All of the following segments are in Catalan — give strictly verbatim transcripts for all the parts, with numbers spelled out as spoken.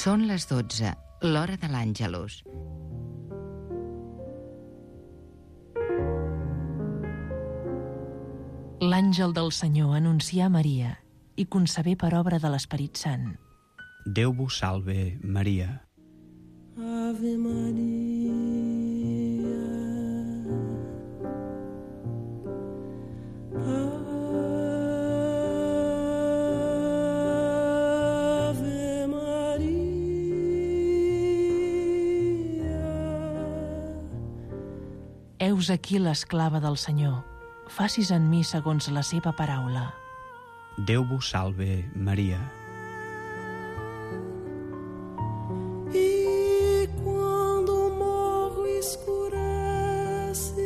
Són les dotze, l'hora de l'Àngelus. L'àngel del Senyor anuncià a Maria i concebé per obra de l'Esperit Sant. Déu vos salve, Maria. Ave Maria. Ave Maria. Heus aquí l'esclava del Senyor. Facis en mi segons la seva paraula. Déu vos salve, Maria. E quando o morro escurece,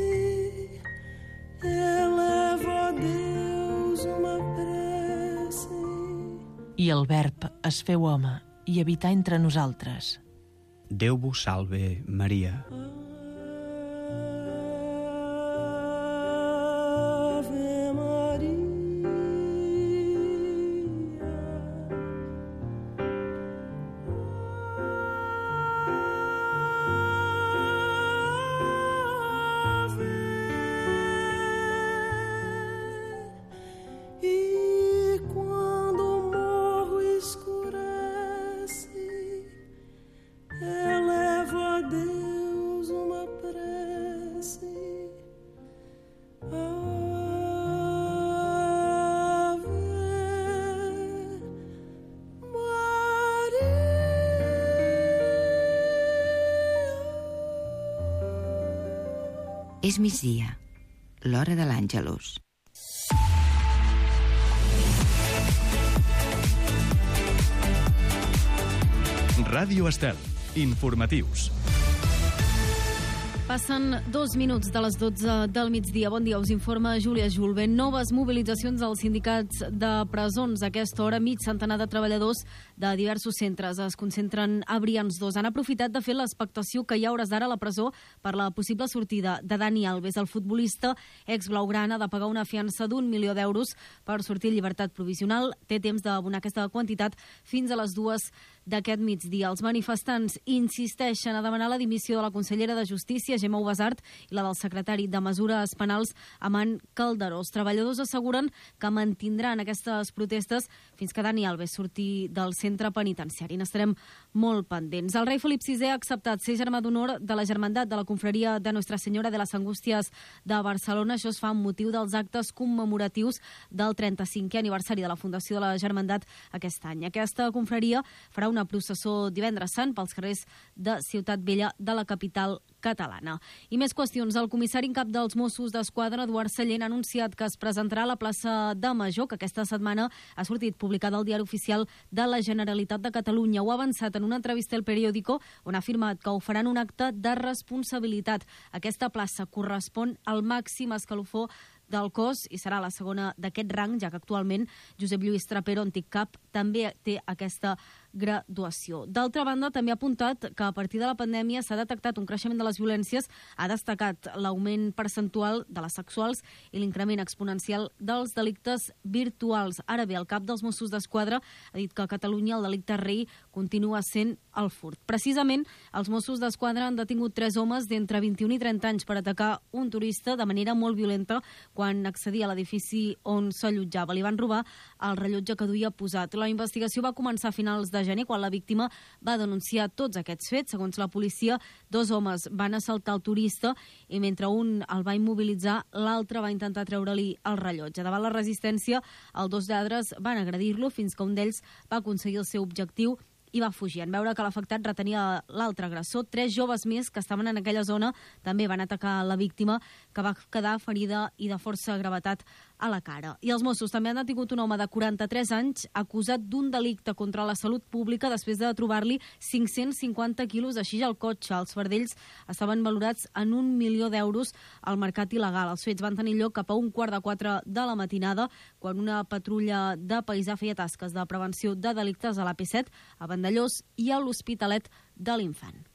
eleva a Deus uma prece. I el Verb es feu home i habità entre nosaltres. Déu vos salve, Maria. Ave Maria. E quando o morro escurece, eleva a Deus uma prece. Ave Maria. És migdia, l'hora de l'Àngelus. Ràdio Estel. Informatius. Passen dos minuts de les dotze del migdia. Bon dia, us informa Júlia Julben. Noves mobilitzacions als sindicats de presons. A aquesta hora, mig centenar de treballadors de diversos centres es concentren a Brians dos. Han aprofitat de fer l'expectació que hi ha hores d'ara a la presó per la possible sortida de Dani Alves. El futbolista ex-blaugrana ha de pagar una fiança d'un milió d'euros per sortir en llibertat provisional. Té temps d'abonar aquesta quantitat fins a les dues d'aquest migdia. Els manifestants insisteixen a demanar la dimissió de la consellera de Justícia, Gemma Ubasart, i la del secretari de Mesures Penals, Aman Calderó. Els treballadors asseguren que mantindran aquestes protestes fins que Dani Alves surti del centre penitenciari. N'estarem molt pendents. El rei Felip sisè ha acceptat ser germà d'honor de la Germandat de la Confraria de Nostra Senyora de les Angústies de Barcelona. Això es fa amb motiu dels actes commemoratius del trenta-cinquè aniversari de la fundació de la Germandat aquest any. Aquesta confraria farà una processó divendres sant pels carrers de Ciutat Vella de la capital catalana. I més qüestions. El comissari en cap dels Mossos d'Esquadra, Eduard Sallent, ha anunciat que es presentarà a la plaça de Major, que aquesta setmana ha sortit publicada al Diari Oficial de la Generalitat de Catalunya. Ho ha avançat en una entrevista al Periódico, on ha afirmat que ho faran un acte de responsabilitat. Aquesta plaça correspon al màxim escalofó del cos i serà la segona d'aquest rang, ja que actualment Josep Lluís Trapero, antic cap, també té aquesta graduació. D'altra banda, també ha apuntat que a partir de la pandèmia s'ha detectat un creixement de les violències, ha destacat l'augment percentual de les sexuals i l'increment exponencial dels delictes virtuals. Ara bé, el cap dels Mossos d'Esquadra ha dit que a Catalunya el delicte rei continua sent el furt. Precisament, els Mossos d'Esquadra han detingut tres homes d'entre vint-i-un i trenta anys per atacar un turista de manera molt violenta quan accedia a l'edifici on s'allotjava. Li van robar el rellotge que duia posat. La investigació va començar a finals de gener, quan la víctima va denunciar tots aquests fets. Segons la policia, dos homes van assaltar el turista i mentre un el va immobilitzar, l'altre va intentar treure-li el rellotge. Davant la resistència, els dos lladres van agredir-lo fins que un d'ells va aconseguir el seu objectiu i va fugir. En veure que l'afectat retenia l'altre agressor, tres joves més que estaven en aquella zona també van atacar la víctima, que va quedar ferida i de força gravetat a la cara. I els Mossos també han detingut un home de quaranta-tres anys acusat d'un delicte contra la salut pública després de trobar-li cinc-cents cinquanta quilos de xix al cotxe. Els fardells estaven valorats en un milió d'euros al mercat il·legal. Els fets van tenir lloc cap a un quart de quatre de la matinada, quan una patrulla de paisà feia tasques de prevenció de delictes a l'A P set, a Vandellós i a l'Hospitalet de l'Infant.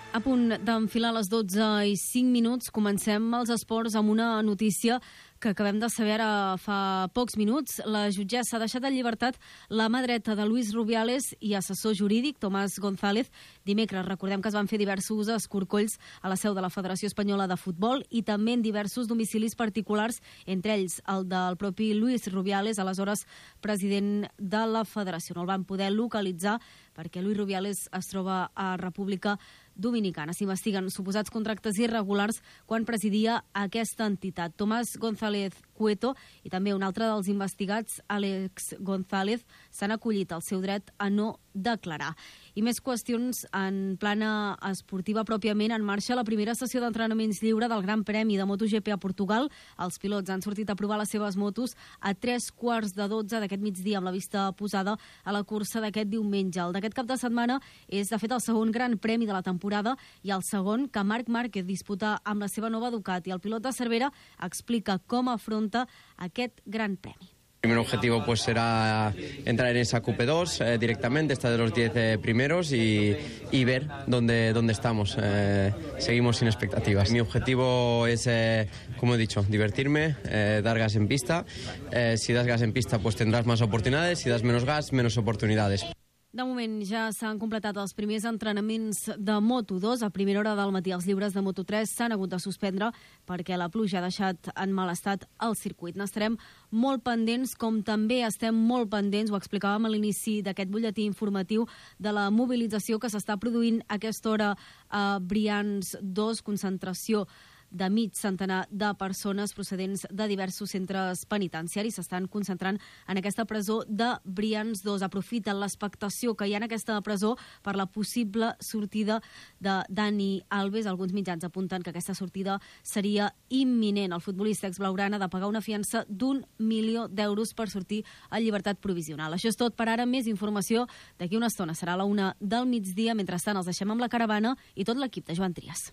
A punt d'enfilar les dotze i cinc minuts, comencem els esports amb una notícia que acabem de saber ara fa pocs minuts. La jutgessa ha deixat en llibertat la mà dreta de Luis Rubiales i assessor jurídic, Tomàs González. Dimecres, recordem que es van fer diversos escorcolls a la seu de la Federació Espanyola de Futbol i també en diversos domicilis particulars, entre ells el del propi Luis Rubiales, aleshores president de la Federació. No el van poder localitzar perquè Luis Rubiales es troba a República Dominicana. S'investiguen suposats contractes irregulars quan presidia aquesta entitat. Tomàs González Cueto i també un altre dels investigats, Àlex González, s'han acollit al seu dret a no declarar. I més qüestions en plana esportiva pròpiament. En marxa la primera sessió d'entrenaments lliure del Gran Premi de MotoGP a Portugal. Els pilots han sortit a provar les seves motos a tres quarts de dotze d'aquest migdia, amb la vista posada a la cursa d'aquest diumenge. El d'aquest cap de setmana és, de fet, el segon Gran Premi de la temporada i el segon que Marc Márquez disputa amb la seva nova Ducati. El pilot de Cervera explica com afronta aquest Gran Premi. El primer objetivo pues será entrar en esa Q P dos eh, directamente, estar de los diez eh, primeros y, y ver dónde, dónde estamos. Eh, seguimos sin expectativas. Mi objetivo es, eh, como he dicho, divertirme, eh, dar gas en pista. Eh, si das gas en pista pues tendrás más oportunidades, si das menos gas, menos oportunidades. De moment ja s'han completat els primers entrenaments de Moto dos. A primera hora del matí els lliures de Moto tres s'han hagut de suspendre perquè la pluja ha deixat en mal estat el circuit. N'estarem molt pendents, com també estem molt pendents, ho explicàvem a l'inici d'aquest butlletí informatiu, de la mobilització que s'està produint a aquesta hora a Brians dos, concentració de mig centenar de persones procedents de diversos centres penitenciaris s'estan concentrant en aquesta presó de Brians dos. Aprofiten l'expectació que hi ha en aquesta presó per la possible sortida de Dani Alves. Alguns mitjans apunten que aquesta sortida seria imminent. El futbolista exblaugrana ha de pagar una fiança d'un milió d'euros per sortir a llibertat provisional. Això és tot per ara. Més informació d'aquí una estona. Serà a la una del migdia. Mentrestant, els deixem amb la caravana i tot l'equip de Joan Trias.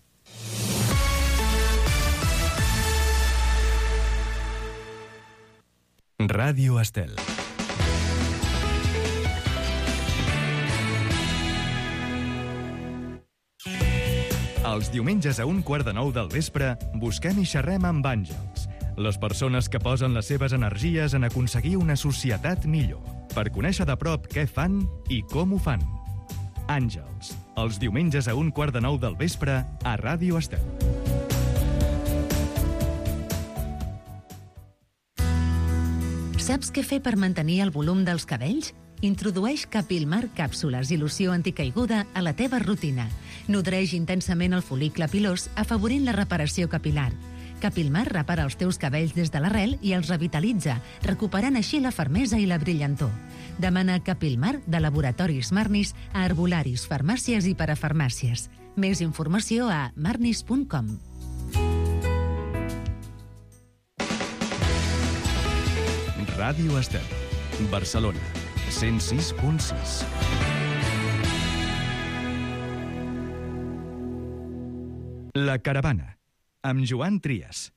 Ràdio Estel. Els diumenges a un quart de nou del vespre busquem i xerrem amb àngels, les persones que posen les seves energies en aconseguir una societat millor, per conèixer de prop què fan i com ho fan. Àngels, els diumenges a un quart de nou del vespre a Ràdio Estel. Saps què fer per mantenir el volum dels cabells? Introdueix Capilmar càpsules i loció anticaiguda a la teva rutina. Nodreix intensament el fol·licle pilós, afavorint la reparació capilar. Capilmar repara els teus cabells des de l'arrel i els revitalitza, recuperant així la fermesa i la brillantor. Demana Capilmar de Laboratoris Marnis a herbolaris, farmàcies i parafarmàcies. Més informació a marnis punt com. Ràdio Estel, Barcelona, cent sis punt sis. La caravana, amb Joan Trias.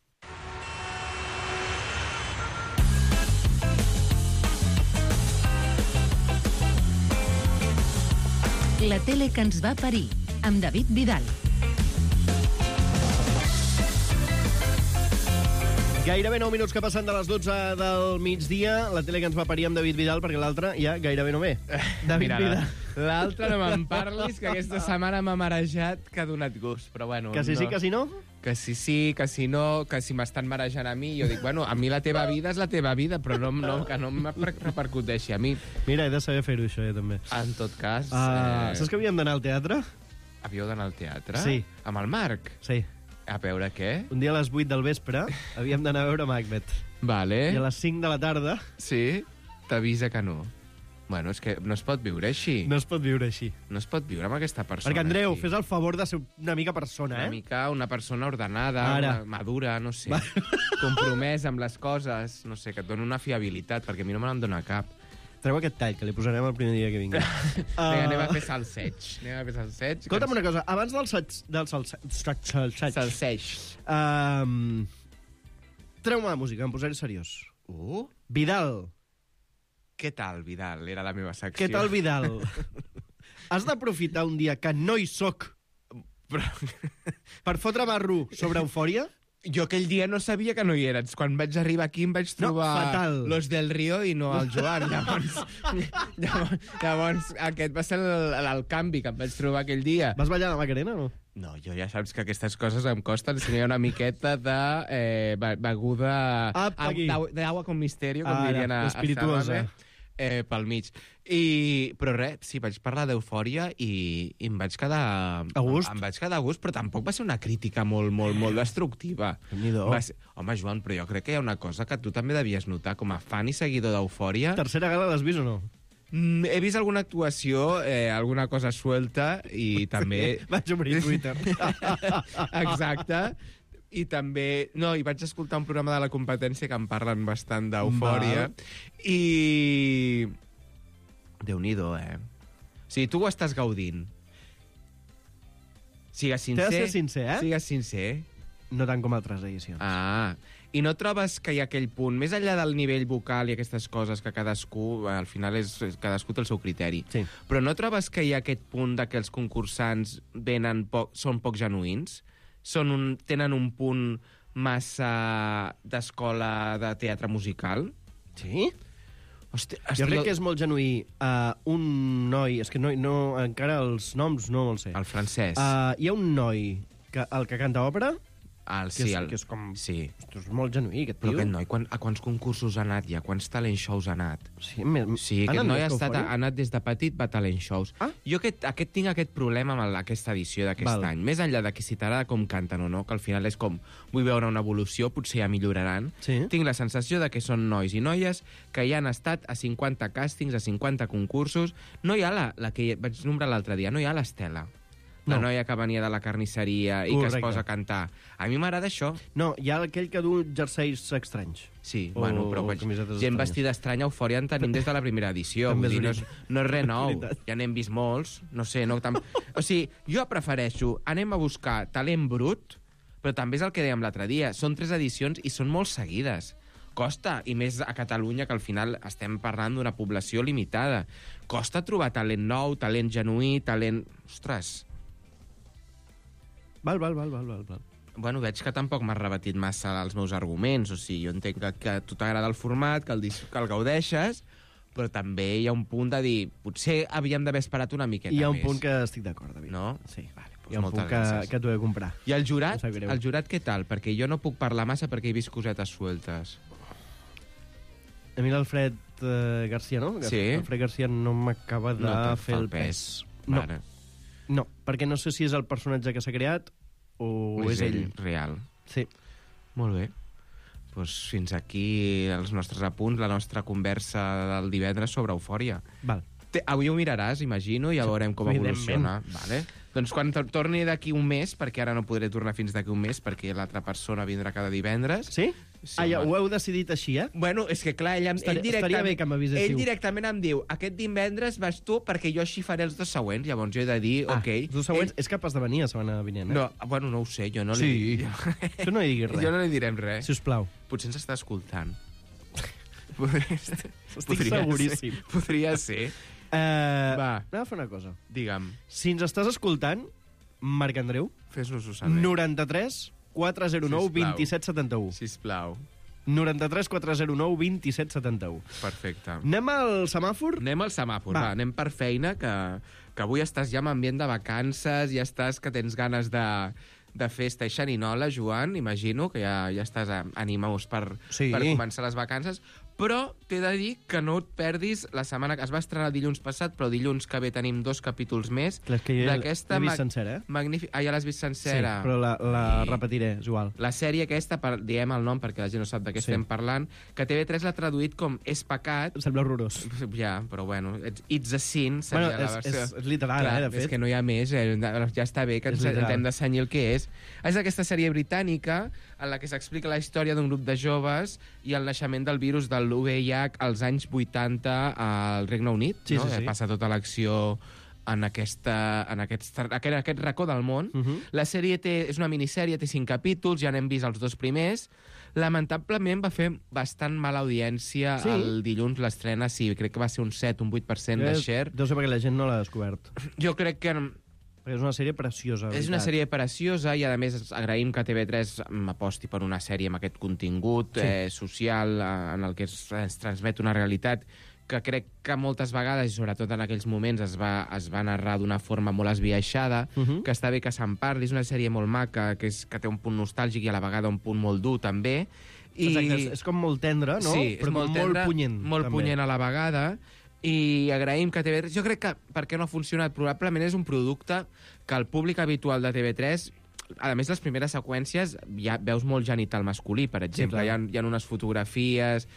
La tele que ens va parir, amb David Vidal. Gairebé nou minuts que passen de les dotze del migdia, la tele que ens va parir amb David Vidal, perquè l'altre ja gairebé no ve. David Mira, Vidal. L'altre no me'n parlis, que aquesta setmana m'ha marejat que ha donat gust, però bueno... Que sí, no. sí, que sí, no? Que sí, sí, que sí, no, que si m'estan marejant a mi, jo dic, bueno, a mi la teva vida és la teva vida, però no, no, que no em repercuteixi a mi. Mira, he de saber fer-ho, això, jo també. En tot cas... Uh, eh... Saps que havíem d'anar al teatre? Havíeu d'anar al teatre? Sí. Amb el Marc? Sí. A veure què? Un dia a les vuit del vespre havíem d'anar a veure Macbeth. Vale. I a les cinc de la tarda... Sí? T'avisa que no. Bueno, és que no es pot viure així. No es pot viure així. No es pot viure amb aquesta persona. Perquè, Andreu, aquí. fes el favor de ser una mica persona, Una eh? mica una persona ordenada, Ara. una madura, no sé. Compromesa amb les coses, no sé, que et dona una fiabilitat, perquè a mi no me n'en dona cap. Treu aquest tall, que li posarem el primer dia que vingui. uh... Vinga, anem a fer salseig. Anem a fer salseig. Escolta'm una cosa, abans del salseig... Del salseig... Salseig. Um, Treu-me la música, em posaré seriós. Uh? Vidal. Què tal, Vidal? Era la meva secció. Què tal, Vidal? Has d'aprofitar un dia que no hi soc Però... per fotre barro sobre Eufòria? Jo aquell dia no sabia que no hi eres. Quan vaig arribar aquí em vaig trobar No, fatal. Los del Río i no el Joan. Llavors, llavors, llavors aquest va ser el, el canvi que em vaig trobar aquell dia. Vas ballar a la Macarena o no? No, jo ja saps que aquestes coses em costen si no hi ha una miqueta de eh, beguda... Apa, aquí. D'aigua con misterio, com Ara, dirien a, a espirituosa. Sálvame. Eh, pel mig. I, però res, sí, vaig parlar d'Eufòria i, i em vaig quedar... A gust? Em, em vaig quedar a gust, però tampoc va ser una crítica molt, molt, molt destructiva. Déu-n'hi-do. Va ser... Home, Joan, però jo crec que hi ha una cosa que tu també devies notar com a fan i seguidor d'Eufòria. Tercera gala l'has vist o no? Mm, he vist alguna actuació, eh, alguna cosa suelta i també... Vaig obrir Twitter. Exacte. I també... No, i vaig escoltar un programa de la competència que en parlen bastant d'Eufòria. I... Déu-n'hi-do, eh? O sigui, tu ho estàs gaudint. Sigues sincer. T'he de ser sincer, eh? Sigues sincer. No tant com altres edicions. Ah, i no trobes que hi ha aquell punt, més enllà del nivell vocal i aquestes coses que cadascú, al final és, cadascú té el seu criteri, Sí. però no trobes que hi ha aquest punt de que els concursants venen poc, són poc genuïns? Són un, tenen un punt massa d'escola de teatre musical? Sí? Hosti, Jo crec que és molt genuí. Uh, un noi... És que no, no, encara els noms no me'ls sé. El francès. Uh, hi ha un noi, que, el que canta òpera, el, que, sí, és, el, que és com... sí. Ostres, és molt genuí, aquest Però tio. aquest noi, quan, a quants concursos ha anat ja? Quants talent shows ha anat? Sí, me, Sí, aquest noi ha, estat, ha anat des de petit, va a talent shows. Ah. Jo aquest, aquest, tinc aquest problema amb el- aquesta edició d'aquest Val. any. Més enllà de que si t'agrada com canten o no, que al final és com, vull veure una evolució, potser ja milloraran. Sí. Tinc la sensació de que són nois i noies que ja han estat a cinquanta càstings, a cinquanta concursos. No hi ha la, la que vaig nombrar l'altre dia, no hi ha l'Estela. La No. noia que venia de la carnisseria i Correcte. que es posa a cantar. A mi m'agrada això. No, hi ha aquell que du jerseis estranys. Sí, O bueno, però vaig, camisetes gent estranyes. vestida estranya a Eufòria en tenim des de la primera edició. També Vull dir, no, és és, no és res nou. veritat. Ja n'hem vist molts. No sé, no... Tam... O sigui, jo prefereixo, anem a buscar talent brut, però també és el que dèiem l'altre dia. Són tres edicions i són molt seguides. Costa, i més a Catalunya, que al final estem parlant d'una població limitada. Costa trobar talent nou, talent genuí, talent... Ostres... Val, val, val, val, val, val. Bueno, veig que tampoc m'has rebatit massa els meus arguments. O sigui, jo entenc que, que a tu t'agrada el format, que el, dis- que el gaudeixes, però també hi ha un punt de dir potser havíem d'haver esperat una miqueta més. Hi ha un punt que estic d'acord, David. No? Sí. Vale, doncs Hi ha un moltes punt que, gràcies. que t'ho he de comprar. I el jurat? Em sap greu. El jurat què tal? Perquè jo no puc parlar massa perquè he vist cosetes sueltes. A mi l'Alfred eh, Garcia, no? Sí. L'Alfred Garcia no m'acaba de No te'n fer fa el pes. No. Vale. No, perquè no sé si és el personatge que s'ha creat o, O és ell. real. Sí. Molt bé. Pues fins aquí els nostres apunts, la nostra conversa del divendres sobre Eufòria. Val. Te, avui ho miraràs, imagino, i ja veurem com Evidentment. evoluciona. Vale? Doncs quan tor- torni d'aquí un mes, perquè ara no podré tornar fins d'aquí un mes, perquè l'altra persona vindrà cada divendres. Sí? Sí, ah, ja, home. ho heu decidit així, eh? Bueno, és que clar, ell, em- Estaria- ell, directament, estaria bé que m'aviséssiu. ell directament em diu aquest divendres vas tu perquè jo així faré els dos següents. Llavors jo he de dir, Ah, ok. els dos següents és capaç de venir la setmana vinent, eh? No, bueno, no ho sé, jo no li Sí. dic. Tu no hi diguis res. Jo no li direm res. Sisplau. Potser ens està escoltant. Podria, Estic seguríssim. Ser, podria ser. Eh, Va. Anem a fer una cosa. Digue'm, Si ens estàs escoltant, Marc Andreu, fes-nos-ho saber. noranta-tres quatre zero nou Sisplau. vint set setanta-u. Sisplau. noranta-tres quatre zero nou vint set setanta-u. Perfecte. Anem al semàfor? Anem al semàfor, Va. va. va, anem per feina, que, que avui estàs ja en ambient de vacances, ja estàs que tens ganes de, de festa i xerinola, Joan, imagino, que ja, ja estàs a- animós per, Sí. per començar les vacances, però t'he de dir que no et perdis la setmana que es va estrenar dilluns passat, però dilluns que ve tenim dos capítols més. Clar, és que jo ja d'aquesta l'he vist mag- sencera, eh? magnífic- Ah, ja l'has vist sencera? Sí, però la, la I- repetiré, és igual. La sèrie aquesta, per, diem el nom perquè la gent no sap de què Sí. estem parlant, que T V tres l'ha traduït com És pecat. Sembla horrorós. Ja, però bueno, it's, it's a sin, seria Bueno, la és- versió. és- és literal, Clar, eh, de fet. És que no hi ha més, eh, ja està bé que És ens, ens literal. hem de cenyir el que és. És aquesta sèrie britànica en la que s'explica la història d'un grup de joves i el naixement del virus de l'U V I H als anys vuitanta al Regne Unit. Sí, no? sí, sí. Passa tota l'acció en, aquesta, en aquest, aquest, aquest racó del món. Uh -huh. La sèrie té, és una minissèrie, té cinc capítols, ja n'hem vist els dos primers. Lamentablement va fer bastant mala audiència Sí? el dilluns l'estrena, sí, crec que va ser un set, un vuit per cent de share. Deu ser perquè la gent no l'ha descobert. Jo crec que... Perquè Perquè és una sèrie preciosa, És una sèrie preciosa i, a més, agraïm que T V tres aposti per una sèrie amb aquest contingut Sí. eh, social eh, en el que es, es transmet una realitat que crec que moltes vegades, i sobretot en aquells moments, es va, es va narrar d'una forma molt esbiaixada, Uh -huh. que està bé que se'n parli. És una sèrie molt maca, que, és, que té un punt nostàlgic i a la vegada un punt molt dur, també. I... Exacte, és, és com molt tendre, no? Sí, però és molt, molt tendre, punyent. molt també. punyent a la vegada, i agraïm que T V tres... Jo crec que per què no ha funcionat? Probablement és un producte que el públic habitual de T V tres... A més, les primeres seqüències ja veus molt genital masculí, per exemple. clar. hi, ha, hi ha unes fotografies...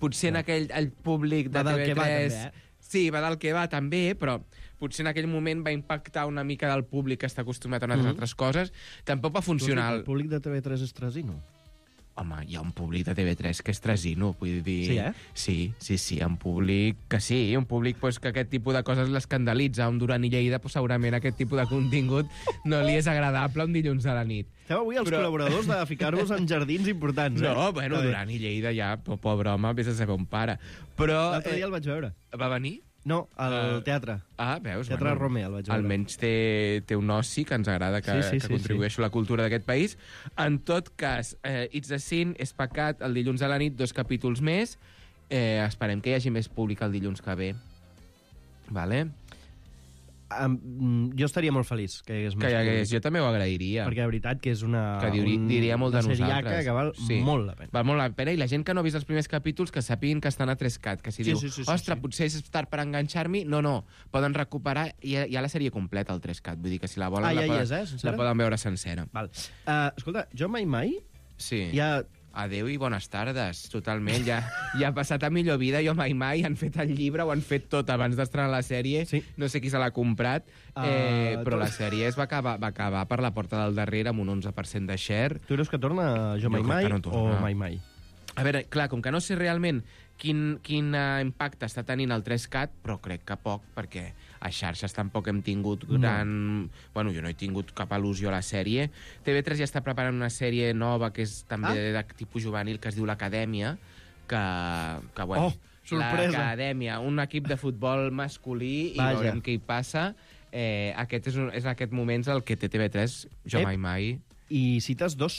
Potser en aquell el públic de Va del T V tres... que va, també, eh? Sí, va del que va, també, però potser en aquell moment va impactar una mica del públic que està acostumat a unes Mhm. altres coses. Tampoc va Tu has dit funcionar... que El públic de T V tres és tresino. Home, hi ha un públic de T V tres que és tresino, vull dir... Sí, eh? Sí, sí, sí, un públic que sí, un públic pues, que aquest tipus de coses l'escandalitza. Un Duran i Lleida, pues, segurament aquest tipus de contingut no li és agradable un dilluns a la nit. Esteu avui els Però- col·laboradors de ficar-vos en jardins importants, eh? No, bueno, Està bé. Duran i Lleida ja, po- pobre home, vés a saber on para. Però... L'altre dia el vaig veure. Va venir? No, al Eh, teatre. Ah, veus? Teatre Romer, el vaig veure. Almenys té, té un oci que ens agrada que, Sí, sí, que sí, contribueixi a la cultura d'aquest país. En tot cas, eh, It's a Sin és pecat el dilluns a la nit, dos capítols més. Eh, esperem que hi hagi més públic el dilluns que ve. Vale? Um, jo estaria molt feliç que hi hagués Que més hi hagués, públic, jo també ho agrairia. perquè de veritat que és una, que diuri, un- diria molt de una seriaca nosaltres. que val Sí. molt la pena. Val molt la pena, i la gent que no ha vist els primers capítols que sàpiguin que estan a tres-cat, que si Sí, diu, sí, sí, sí, ostres, sí. potser és tard per enganxar-m'hi, no, no, poden recuperar, hi ha, hi ha la sèrie completa al tres-cat, vull dir que si la volen, Ah, la, ja hi poden, és, eh, sencera? la poden veure sencera. Val. Uh, escolta, jo mai mai Sí. ja... Adéu i bones tardes, totalment. Ja, ja ha passat a millor vida, jo mai mai. Han fet el llibre, ho han fet tot abans d'estrenar la sèrie. Sí. No sé qui se l'ha comprat, eh, Uh, però tu- la sèrie es va acabar, va acabar per la porta del darrere amb un onze per cent de share. Tu creus que torna Jo Jo mai crec mai que no torna. o mai mai? A veure, clar, com que no sé realment quin, quin uh, impacte està tenint el tres-cat, però crec que poc, perquè a xarxes tampoc hem tingut gran... No. Bueno, jo no he tingut cap al·lusió a la sèrie. T V tres ja està preparant una sèrie nova que és també Ah. de tipus juvenil, que es diu l'Acadèmia, que, que bueno... Oh, sorpresa. L'Acadèmia, un equip de futbol masculí, Vaja. i veurem què hi passa. Eh, aquest és, un, és aquest moments el que té T V tres, jo Ep. mai mai... I cites dos...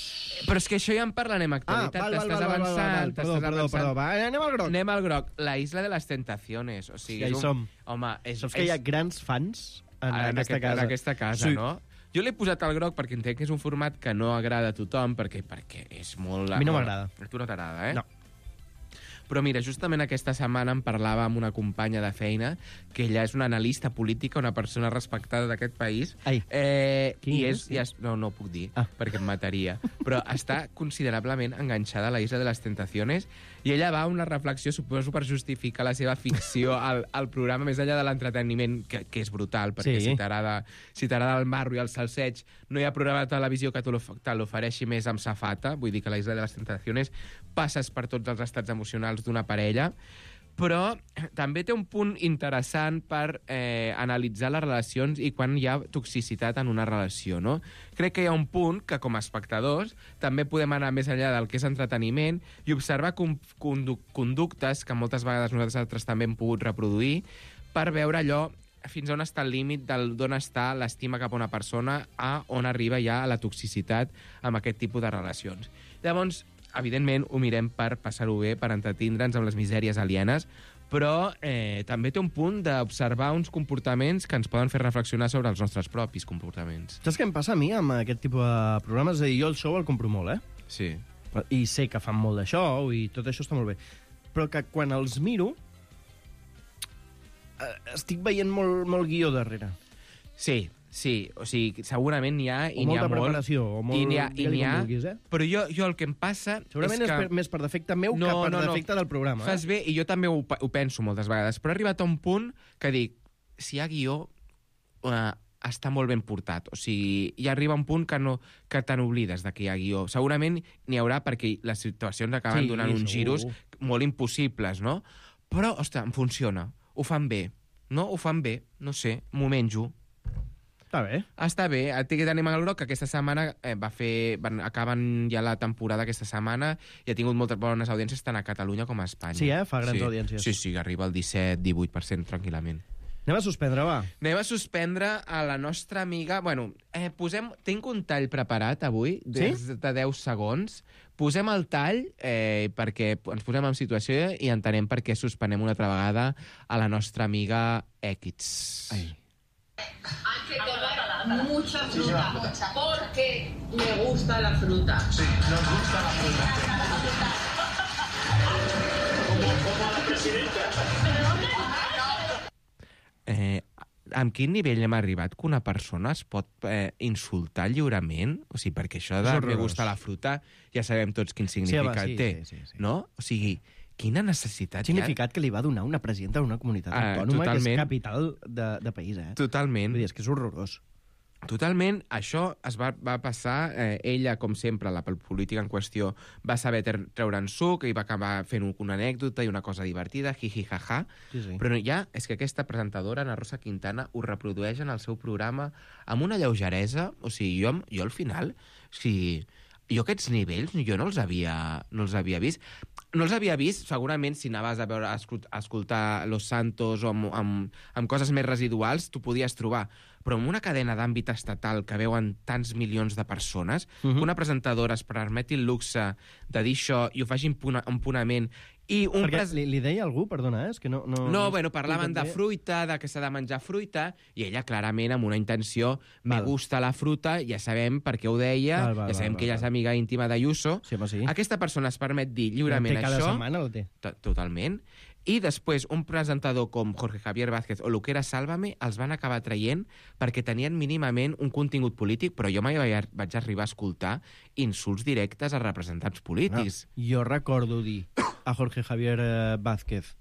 Però és que això ja en parlarem a actualitat, Ah, val, val, t'estàs val, val, val, avançant, val. Perdó, t'estàs perdó, avançant. perdó. Va, anem al groc. Anem al groc. La Isla de les Tentaciones. O sigui, Ja hi és un... som. Home, és, Saps que hi ha grans fans en, en, aquesta aquest, casa. en aquesta casa, Sí. no? Jo l'he posat al groc perquè entenc que és un format que no agrada a tothom, perquè, perquè és molt... A mi no molt- m'agrada. A tu no t'agrada, eh? No. Però mira, justament aquesta setmana em parlava amb una companya de feina, que ella és una analista política, una persona respectada d'aquest país. Ai. Eh, Qui i és? és, i és, no, no ho puc dir, Ah. perquè em mataria. Però està considerablement enganxada a la Isla de les Tentaciones, i ella va a una reflexió, suposo, per justificar la seva ficció al, al programa, més enllà de l'entreteniment, que, que és brutal, perquè Sí. si t'agrada si t'agrada el marro i el salseig, no hi ha programa de televisió que te l'of- te l'ofereixi més amb safata, vull dir que la Isla de les Tentaciones passes per tots els estats emocionals d'una parella, però també té un punt interessant per eh, analitzar les relacions i quan hi ha toxicitat en una relació, no? Crec que hi ha un punt que, com a espectadors, també podem anar més enllà del que és entreteniment i observar com, condu conductes que moltes vegades nosaltres altres també hem pogut reproduir per veure allò fins on està el límit d'on està l'estima cap a una persona a on arriba ja a la toxicitat amb aquest tipus de relacions. Llavors, evidentment, ho mirem per passar-ho bé, per entretindre'ns amb les misèries alienes, però eh, també té un punt d'observar uns comportaments que ens poden fer reflexionar sobre els nostres propis comportaments. Saps què em passa a mi amb aquest tipus de programes? És a dir, jo el show el compro molt, eh? Sí. I sé que fan molt de show i tot això està molt bé. Però que quan els miro eh, estic veient molt, molt guió darrere. Sí, sí, o sigui, segurament n'hi ha O i n'hi ha molta molt. preparació, o molt- I n'hi ha, i digue-li n'hi com ha, vulguis, eh? però jo, jo el que em passa Segurament és, és que... per, més per defecte meu que per defecte del programa. Fas Eh? bé, i jo també ho, pe- ho penso moltes vegades, però he arribat a un punt que dic, si hi ha guió, eh, està molt ben portat. O sigui, hi arriba un punt que, no, que te n'oblides de que hi ha guió. Segurament n'hi haurà perquè les situacions acaben Sí, donant uns segur. giros molt impossibles, no? Però, ostres, em funciona. Ho fan bé. No? Ho fan bé. No sé, m'ho menjo. Està bé. Està bé. El Tiquet d'Animal Groc, que aquesta setmana eh, va fer... Van, acaben ja la temporada aquesta setmana i ha tingut moltes bones audiències tant a Catalunya com a Espanya. Sí, eh? Fa grans sí. audiències. Sí, sí, arriba al disset divuit per cent tranquil·lament. Anem a suspendre, va. Anem a suspendre a la nostra amiga... Bueno, eh, posem... Tinc un tall preparat avui, de, Sí? de deu segons. Posem el tall eh, perquè ens posem en situació i entenem per què suspenem una altra vegada a la nostra amiga X. Ai. Hay que comer mucha fruta, porque le gusta la fruta. Sí, nos gusta la fruta. Como, como a la presidenta. Eh, amb quin nivell hem arribat que una persona es pot eh, insultar lliurement? O sigui, perquè això de me gusta la fruta ja sabem tots quin significat sí, té, sí, sí, sí. no? O sigui, quina necessitat Significat que li va donar una presidenta d'una comunitat Ah, autònoma que és totalment. capital de, de país, eh? Totalment. Vull dir, és que és horrorós. Totalment. Això es va, va passar, eh, ella, com sempre, la política en qüestió, va saber tre- treure'n suc i va acabar fent un- una anècdota i una cosa divertida, jiji, jaja. Sí, sí. Però ja és que aquesta presentadora, Ana Rosa Quintana, ho reprodueix en el seu programa amb una lleugeresa. O sigui, jo, jo al final... O sigui, jo aquests nivells jo no els havia, no els havia vist. No els havia vist, segurament, si anaves a veure a escol- a escoltar Los Santos o amb, amb, amb coses més residuals, t'ho podies trobar. Però en una cadena d'àmbit estatal que veuen tants milions de persones, uh -huh. que una presentadora es permeti el luxe de dir això i ho faci impuna, impunament, i un Perquè pres... li, li deia algú, perdona, eh? És que no... No, No, bueno, parlaven de fruita, de que s'ha de menjar fruita, i ella clarament amb una intenció, me gusta la fruta, ja sabem per què ho deia, Val, val, ja sabem val, que ella val. és amiga íntima d'Ayuso. Sí, home, sí. Aquesta persona es permet dir lliurement La té cada això. setmana, la té. To- Totalment. I després un presentador com Jorge Javier Vázquez o Luquera Sálvame els van acabar traient perquè tenien mínimament un contingut polític, però jo mai vaig, vaig arribar a escoltar insults directes a representants polítics. No, jo recordo dir a Jorge Javier eh, Vázquez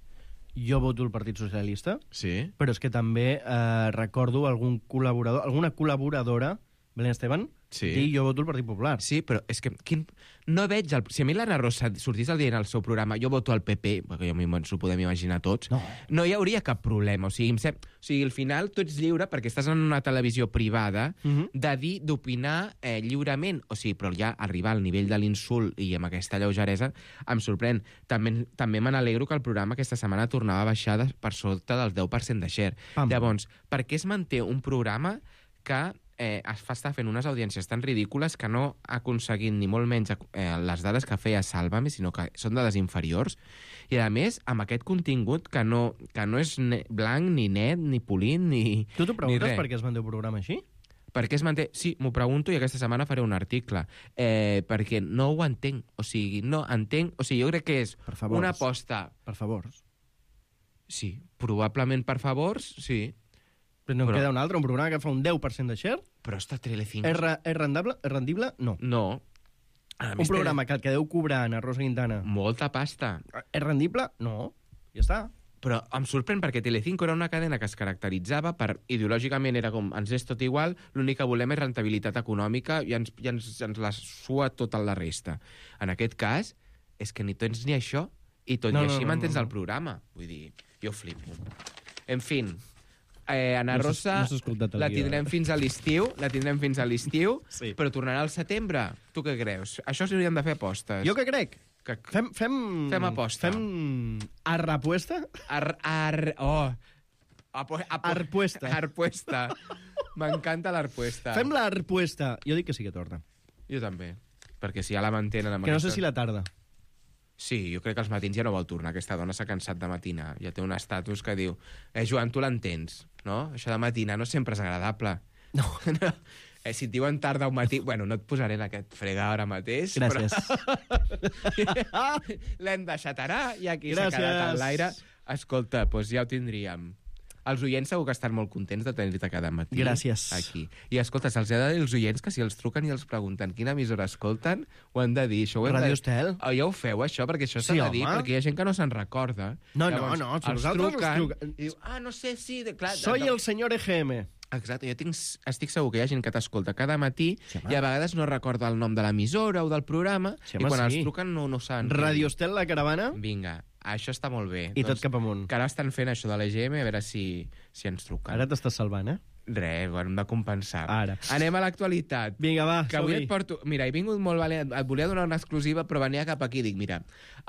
jo voto el Partit Socialista, Sí. però és que també eh, recordo algun col·laborador, alguna col·laboradora, Belén Esteban, Sí. dir jo voto el Partit Popular. Sí, però és que quin... no veig... El... Si a mi l'Anna Rosa sortís el dia en el seu programa jo voto al P P, perquè jo ens ho podem imaginar tots, No. no hi hauria cap problema. O sigui, em sem... o sigui, al final tu ets lliure perquè estàs en una televisió privada Mhm. de dir, d'opinar eh, lliurement. O sigui, però ja arribar al nivell de l'insult i amb aquesta lleugeresa em sorprèn. També, també me n'alegro que el programa aquesta setmana tornava a baixar de, per sota del deu per cent de share. Pam. Llavors, per què es manté un programa que eh, es fa estar fent unes audiències tan ridícules que no ha aconseguit ni molt menys eh, les dades que feia Sálvame, sinó que són dades inferiors, i a més amb aquest contingut que no, que no és ne blanc, ni net, ni polit, ni Tu t'ho ni preguntes res. per què es manté un programa així? Per què es manté? Sí, m'ho pregunto i aquesta setmana faré un article. Eh, perquè no ho entenc. O sigui, no entenc... O sigui, jo crec que és Per favors. una aposta... Per favors. Sí, probablement per favors, sí. Però no Però- però... queda un altre, un programa que fa un deu per cent de share? Però està Telecinco... És, re, és rendible? És rendible? No. No. A Un més, té programa que el que deu cobrar Ana Rosa Quintana Molta pasta. és rendible? No. Ja està. Però em sorprèn perquè Telecinco era una cadena que es caracteritzava per... Ideològicament era com, ens és tot igual, l'únic que volem és rentabilitat econòmica i ens, i ens, ens la sua tota la resta. En aquest cas, és que ni tens ni això, i tot No, i no, així no, mantens no, no. el programa. Vull dir, jo flipo. En fin, eh, Ana No s'ha- Rosa no s'ha escoltat el la guió, tindrem eh? fins a l'estiu, la tindrem fins a l'estiu, Sí. però tornarà al setembre. Tu què creus? Això s'haurien de fer apostes. Jo què crec? Que... Fem, fem... Fem aposta. Fem arrapuesta? Ar, ar, oh. Apo, apo, Arpuesta. Arpuesta. M'encanta l'arpuesta. Fem l'arpuesta. Jo dic que sí que torna. Jo també. Perquè si ja la mantenen... Amb Que no aquesta... sé si la tarda. Sí, jo crec que als matins ja no vol tornar. Aquesta dona s'ha cansat de matinar. Ja té un estatus que diu... Eh, Joan, tu l'entens, no? Això de matinar no sempre és agradable. No. no. Eh, si et diuen tarda o matí... Bueno, no et posaré en aquest fregar ara mateix. Gràcies. Però... L'hem deixat ara i aquí s'ha Gràcies. quedat en l'aire. Escolta, doncs ja ho tindríem. Els oients segur que estan molt contents de tenir-te cada matí. Gràcies. Aquí. I escolta, se'ls ha de dir als oients que si els truquen i els pregunten quina emissora escolten, ho han de dir. Això ho hem Radio de... Estel. Oh, ja ho feu, això, perquè això s'ha Sí, de dir, home. perquè hi ha gent que no se'n recorda. No, Llavors, no, no, si els vosaltres us truquen truca- i diu, ah, no sé, sí, de, clar... Soy de, el senyor E G M. Exacte, jo tinc, estic segur que hi ha gent que t'escolta cada matí Sí, home. i a vegades no recorda el nom de l'emissora o del programa Sí, i home, quan sí. els truquen no, no saben. què Radio dir. Estel, la caravana, Vinga, això està molt bé. i tot cap amunt. Que ara estan fent això de l'E G M, a veure si, si ens truquen. Ara t'estàs salvant, eh? Res, ho hem de compensar. Ara. Anem a l'actualitat. Vinga, va, que avui som-hi. et porto... Mira, he vingut molt valent, et volia donar una exclusiva, però venia cap aquí. Dic, mira,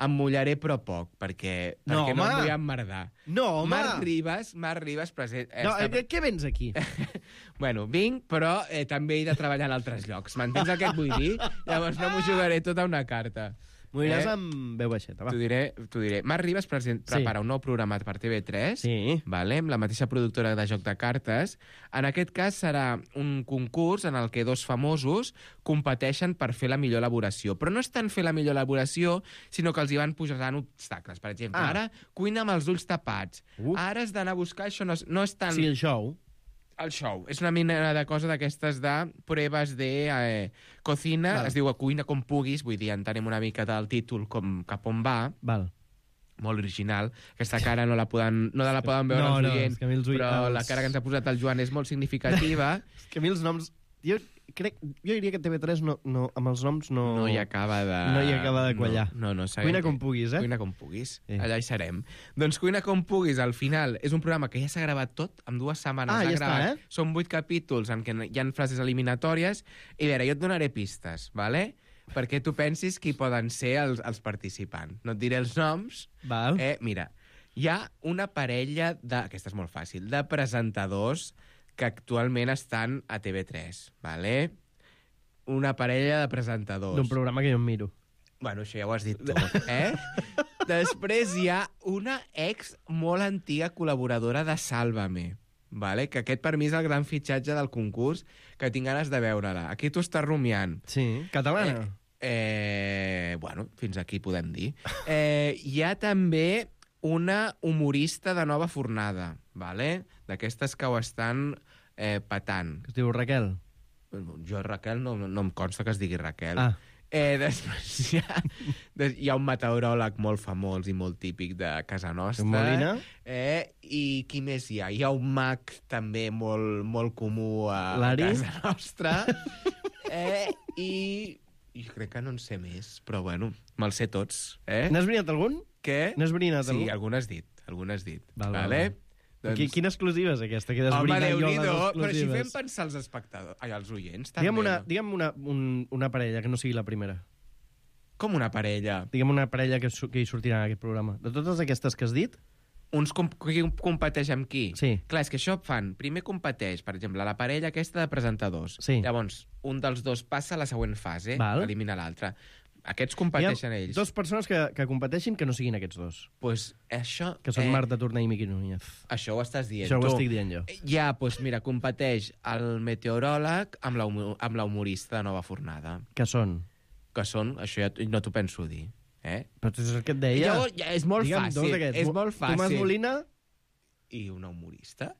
em mullaré però poc, perquè No, perquè no home. em vull emmerdar. No, home. Marc Ribas, Marc Ribas present... No, eh, què vens aquí? Bueno, vinc, però eh, també he de treballar en altres llocs. M'entens el que et vull dir? Llavors no m'ho jugaré tot a una carta. M'ho diràs Eh? amb veu baixeta, va. T'ho diré, t'ho diré. Marc Ribas present, Sí. prepara un nou programa per T V tres, Sí. vale? Amb la mateixa productora de Joc de Cartes. En aquest cas serà un concurs en el que dos famosos competeixen per fer la millor elaboració. Però no és tant fer la millor elaboració, sinó que els hi van posant obstacles. Per exemple, Ah. ara cuina amb els ulls tapats. Uh. Ara has d'anar a buscar... Això no és, no és tant... Sí, el show. El show. És una mena de cosa d'aquestes de proves de eh, cocina. Val. Es diu cuina com puguis, vull dir, entenem una mica del títol com cap on va. Val. Molt original. Aquesta cara no la poden, no la poden veure No, els no, oients, és que a mi els ui- però els- la cara que ens ha posat el Joan és molt significativa. És que a mi els noms... Jo crec... Jo diria que T V tres no, no, amb els noms no... No hi acaba de... No hi acaba de quallar. No, no, no sabem Cuina que- com puguis, eh? Cuina com puguis. Sí. Allà hi serem. Doncs Cuina com puguis, al final, és un programa que ja s'ha gravat tot, en dues setmanes Ah, s'ha ja està, gravat. eh? Són vuit capítols en què hi ha frases eliminatòries. I a veure, jo et donaré pistes, vale? Perquè tu pensis qui poden ser els, els participants. No et diré els noms. Val. Eh, mira, hi ha una parella de... Aquesta és molt fàcil. De presentadors que actualment estan a T V tres, vale? Una parella de presentadors. D'un programa que jo em miro. Bueno, això ja ho has dit tu, eh? Després hi ha una ex molt antiga col·laboradora de Sálvame, vale? Que aquest per mi és el gran fitxatge del concurs, que tinc ganes de veure-la. Aquí t'ho estàs rumiant. Sí, catalana. Eh, eh, bueno, fins aquí podem dir. Eh, hi ha també una humorista de nova fornada, vale? D'aquestes que ho estan eh, patant. Que es diu Raquel. Jo, Raquel, no, no em consta que es digui Raquel. Ah. Eh, després hi ha, des, hi ha un meteoròleg molt famós i molt típic de casa nostra. Molina. Eh, I qui més hi ha? Hi ha un mag també molt, molt comú a, a L'Ari? casa nostra. eh, I jo crec que no en sé més, però bueno, me'ls sé tots. Eh? N'has brinat algun? Què? N'has brinat Sí, algun? algun has dit, algun has dit. Val, val, vale? val. Qui, quina exclusiva és aquesta? Que Home, desbrina jo les Déu-n'hi-do, però si exclusives. fem pensar els espectadors, ai, els oients, també. Digue'm, una, no? digue'm una, un, una parella que no sigui la primera. Com una parella? Digue'm una parella que, su- que hi sortirà en aquest programa. De totes aquestes que has dit, Uns com qui competeix amb qui? Sí. Clar, és que això fan. Primer competeix, per exemple, la parella aquesta de presentadors. Sí. Llavors, un dels dos passa a la següent fase, Val. elimina l'altre. Aquests hi competeixen ha ells. dues persones que, que competeixin que no siguin aquests dos. Pues això... Que són eh, Marta Torner i Miqui Núñez. Això ho estàs dient Això ho tu. estic dient jo. Ja, doncs mira, competeix el meteoròleg amb la, humo- amb la humorista de Nova Fornada. Que són? Que són, això ja t- no t'ho penso dir. Eh? Però és el que et deia. Llavors, ja, és molt Digue'm, fàcil. dos d'aquests. És molt fàcil. Tomàs Molina... I una humorista.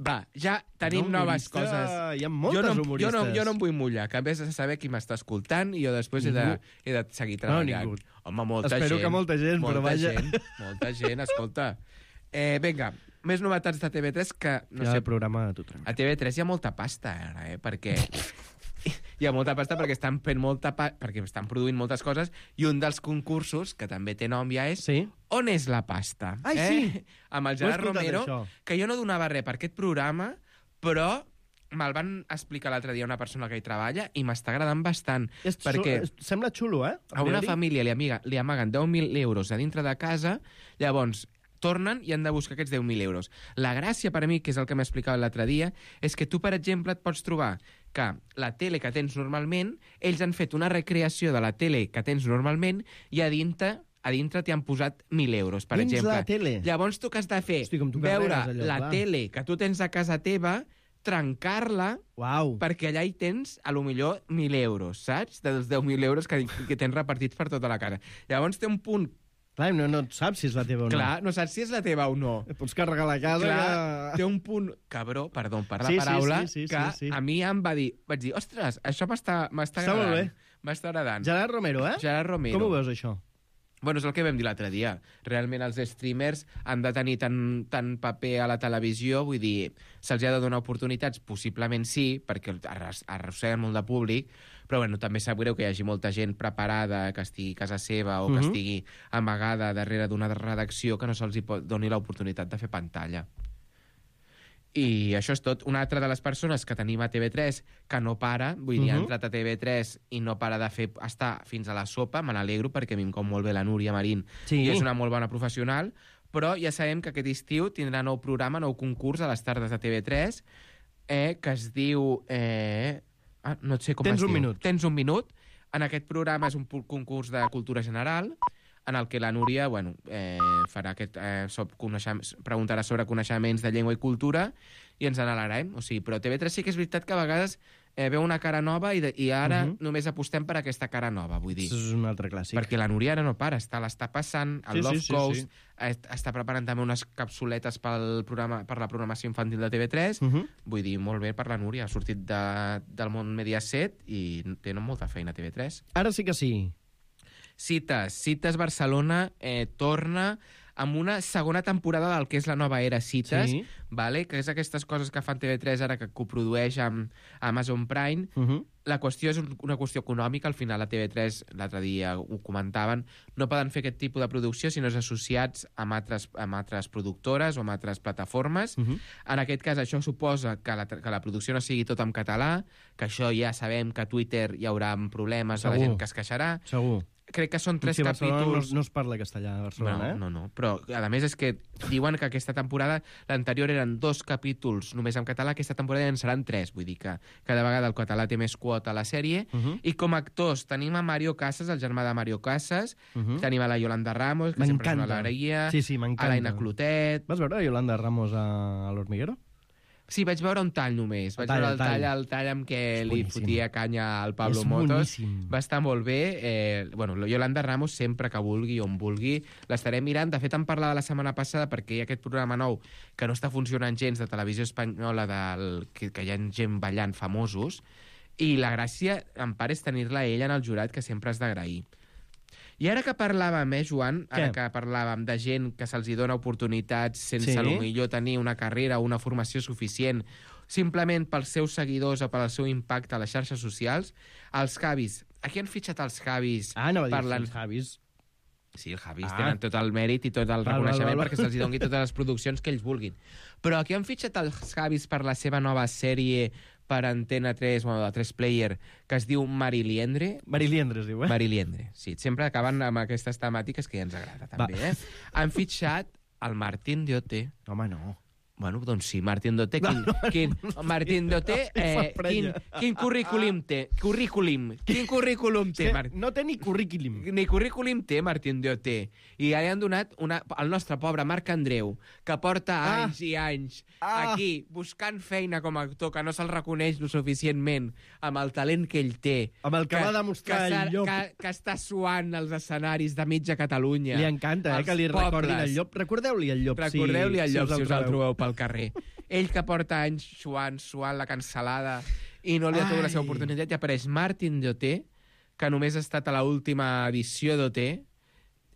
Va, ja tenim Una noves humorista, coses. hi ha moltes jo no, humoristes. Jo no, jo no em vull mullar, que a més de saber qui m'està escoltant i jo després he de, Ningú. he de seguir No, treballant. ningú. Home, molta Espero gent. que molta gent, molta però vaja. Gent, molta gent, escolta. Eh, vinga, més novetats de T V tres que... No No sé, sé, el programa a tu tranquil. a T V tres hi ha molta pasta ara, eh? Perquè... hi ha molta pasta perquè estan fent molta pa... perquè estan produint moltes coses i un dels concursos, que també té nom ja és Sí? On és la pasta? Ai, eh? sí! Amb el Ho he Gerard escoltat, Romero, això. que jo no donava res per aquest programa, però me'l van explicar l'altre dia una persona que hi treballa i m'està agradant bastant. És, perquè és, sembla xulo, eh? a una priori. família li, amiga, li amaguen deu mil euros a dintre de casa, llavors tornen i han de buscar aquests deu mil euros. La gràcia per a mi, que és el que m'explicava l'altre dia, és que tu, per exemple, et pots trobar que la tele que tens normalment, ells han fet una recreació de la tele que tens normalment i a dintre a dintre t'hi han posat mil euros, per Dins exemple. la tele? Llavors tu que has de fer? Hosti, com tu veure carregues allò, la clar. tele que tu tens a casa teva, trencar-la, Uau. perquè allà hi tens, a lo millor, mil euros, saps? Dels deu mil euros que, que tens repartits per tota la casa. Llavors té un punt... Clar, no, no saps si és la teva o no. Clar, no saps si és la teva o no. Pots carregar la casa... Clar, que... té un punt... Cabró, perdó per la Sí, sí, paraula, sí, sí, sí, que sí. a mi em va dir... Vaig dir, ostres, això m'està m'està Està molt agradant. bé. M'està agradant. Gerard Romero, eh? Gerard Romero. Com ho veus, això? Bueno, és el que vam dir l'altre dia. Realment els streamers han de tenir tant, tant paper a la televisió, vull dir, se'ls ha de donar oportunitats? Possiblement sí, perquè arros- arrosseguen molt de públic, però bueno, també sap greu que hi hagi molta gent preparada, que estigui a casa seva o que Mhm. estigui amagada darrere d'una redacció que no se'ls hi pot- doni l'oportunitat de fer pantalla. I això és tot. Una altra de les persones que tenim a T V tres que no para, vull dir, uh -huh. ha entrat a T V tres i no para de fer estar fins a la sopa, me n'alegro perquè a mi em cau molt bé la Núria Marín sí. i és una molt bona professional, però ja sabem que aquest estiu tindrà nou programa, nou concurs a les tardes de T V tres, eh, que es diu... Eh... Ah, no sé com Tens es un diu. minut. Tens un minut. En aquest programa és un concurs de cultura general, en el que la Núria bueno, eh, farà aquest, eh, preguntarà sobre coneixements de llengua i cultura i ens n'alegrem. O sigui, però T V tres sí que és veritat que a vegades eh, veu una cara nova i, de, i ara uh -huh. només apostem per aquesta cara nova, vull dir. Això és un altre clàssic. Perquè la Núria ara no para, està, l'està passant, el sí, Love sí, sí, Coast, sí. està preparant també unes capsuletes pel programa, per la programació infantil de T V tres, uh -huh. vull dir, molt bé per la Núria, ha sortit de, del món Mediaset i tenen molta feina a T V tres. Ara sí que sí. Cites. Cites Barcelona eh, torna amb una segona temporada del que és la nova era Cites, sí. vale? Que és aquestes coses que fan T V tres ara que coprodueix amb Amazon Prime. Uh -huh. La qüestió és una qüestió econòmica, al final a T V tres, l'altre dia ho comentaven, no poden fer aquest tipus de producció si no és associats amb altres, amb altres productores o amb altres plataformes. Uh -huh. En aquest cas això suposa que la, que la producció no sigui tot en català, que això ja sabem que a Twitter hi haurà problemes de la gent que es queixarà. Segur. Crec que són tres sí, capítols... No, no es parla castellà a Barcelona, no, eh? No, no, però a més és que diuen que aquesta temporada, l'anterior eren dos capítols només en català, aquesta temporada en seran tres, vull dir que cada vegada el català té més quota a la sèrie, uh -huh. i com a actors tenim a Mario Casas, el germà de Mario Casas, uh -huh. tenim a la Yolanda Ramos, que sempre és una alegria, sí, sí, a l'Aina Clotet... Vas veure Yolanda Ramos a, a l'Hormiguero? Sí, vaig veure un tall només. Vaig tall, veure el tall, tall. el tall amb què És li boníssim. fotia canya al Pablo És Motos. boníssim. Va estar molt bé. Eh, bueno, Yolanda Ramos sempre que vulgui, on vulgui, l'estaré mirant. De fet, em parlava la setmana passada perquè hi ha aquest programa nou que no està funcionant gens de televisió espanyola, del, que, que hi ha gent ballant famosos, i la gràcia, en part, és tenir-la a ella en el jurat, que sempre has d'agrair. I ara que parlàvem, eh, Joan, ara Què? que parlàvem de gent que se'ls dona oportunitats sense Sí. sí. potser tenir una carrera o una formació suficient, simplement pels seus seguidors o pel seu impacte a les xarxes socials, els Javis. Aquí han fitxat els Javis. Ah, no va dir parlant... els Javis. Sí, els Javis Ah. tenen tot el mèrit i tot el Val, reconeixement val, val. perquè se'ls doni totes les produccions que ells vulguin. Però aquí han fitxat els Javis per la seva nova sèrie per Antena tres, bueno, de tres player, que es diu Mariliendre. Mariliendre es diu, eh? Mariliendre, sí. Sempre acaben amb aquestes temàtiques que ja ens agrada, també, Va. eh? Han fitxat el Martín Doté. Home, no. Bueno, doncs sí, Martín Doté. Quin, No, no, quin, no, no, Martín no, Doté, no, eh, no, quin, quin currículum té? Currículum. Quin currículum té, Martín? No té ni currículum. Ni currículum té Martín Doté. I ja li han donat una, el nostre pobre Marc Andreu, que porta Ah. anys i anys Ah. aquí buscant feina com a actor, que no se'l reconeix lo suficientment amb el talent que ell té. Amb el que va demostrar que, el Llop. Que, que està suant els escenaris de mitja Catalunya. Li encanta, eh, als que li recordin pobles. el Llop. Recordeu-li el Llop, si, Recordeu-li el si Llop, us si el us el trobeu. trobeu pel carrer. Ell que porta anys suant, suant la cancel·lada i no li ha tingut la seva Ai. oportunitat, i apareix Martin Doté, que només ha estat a l'última edició d'Oté,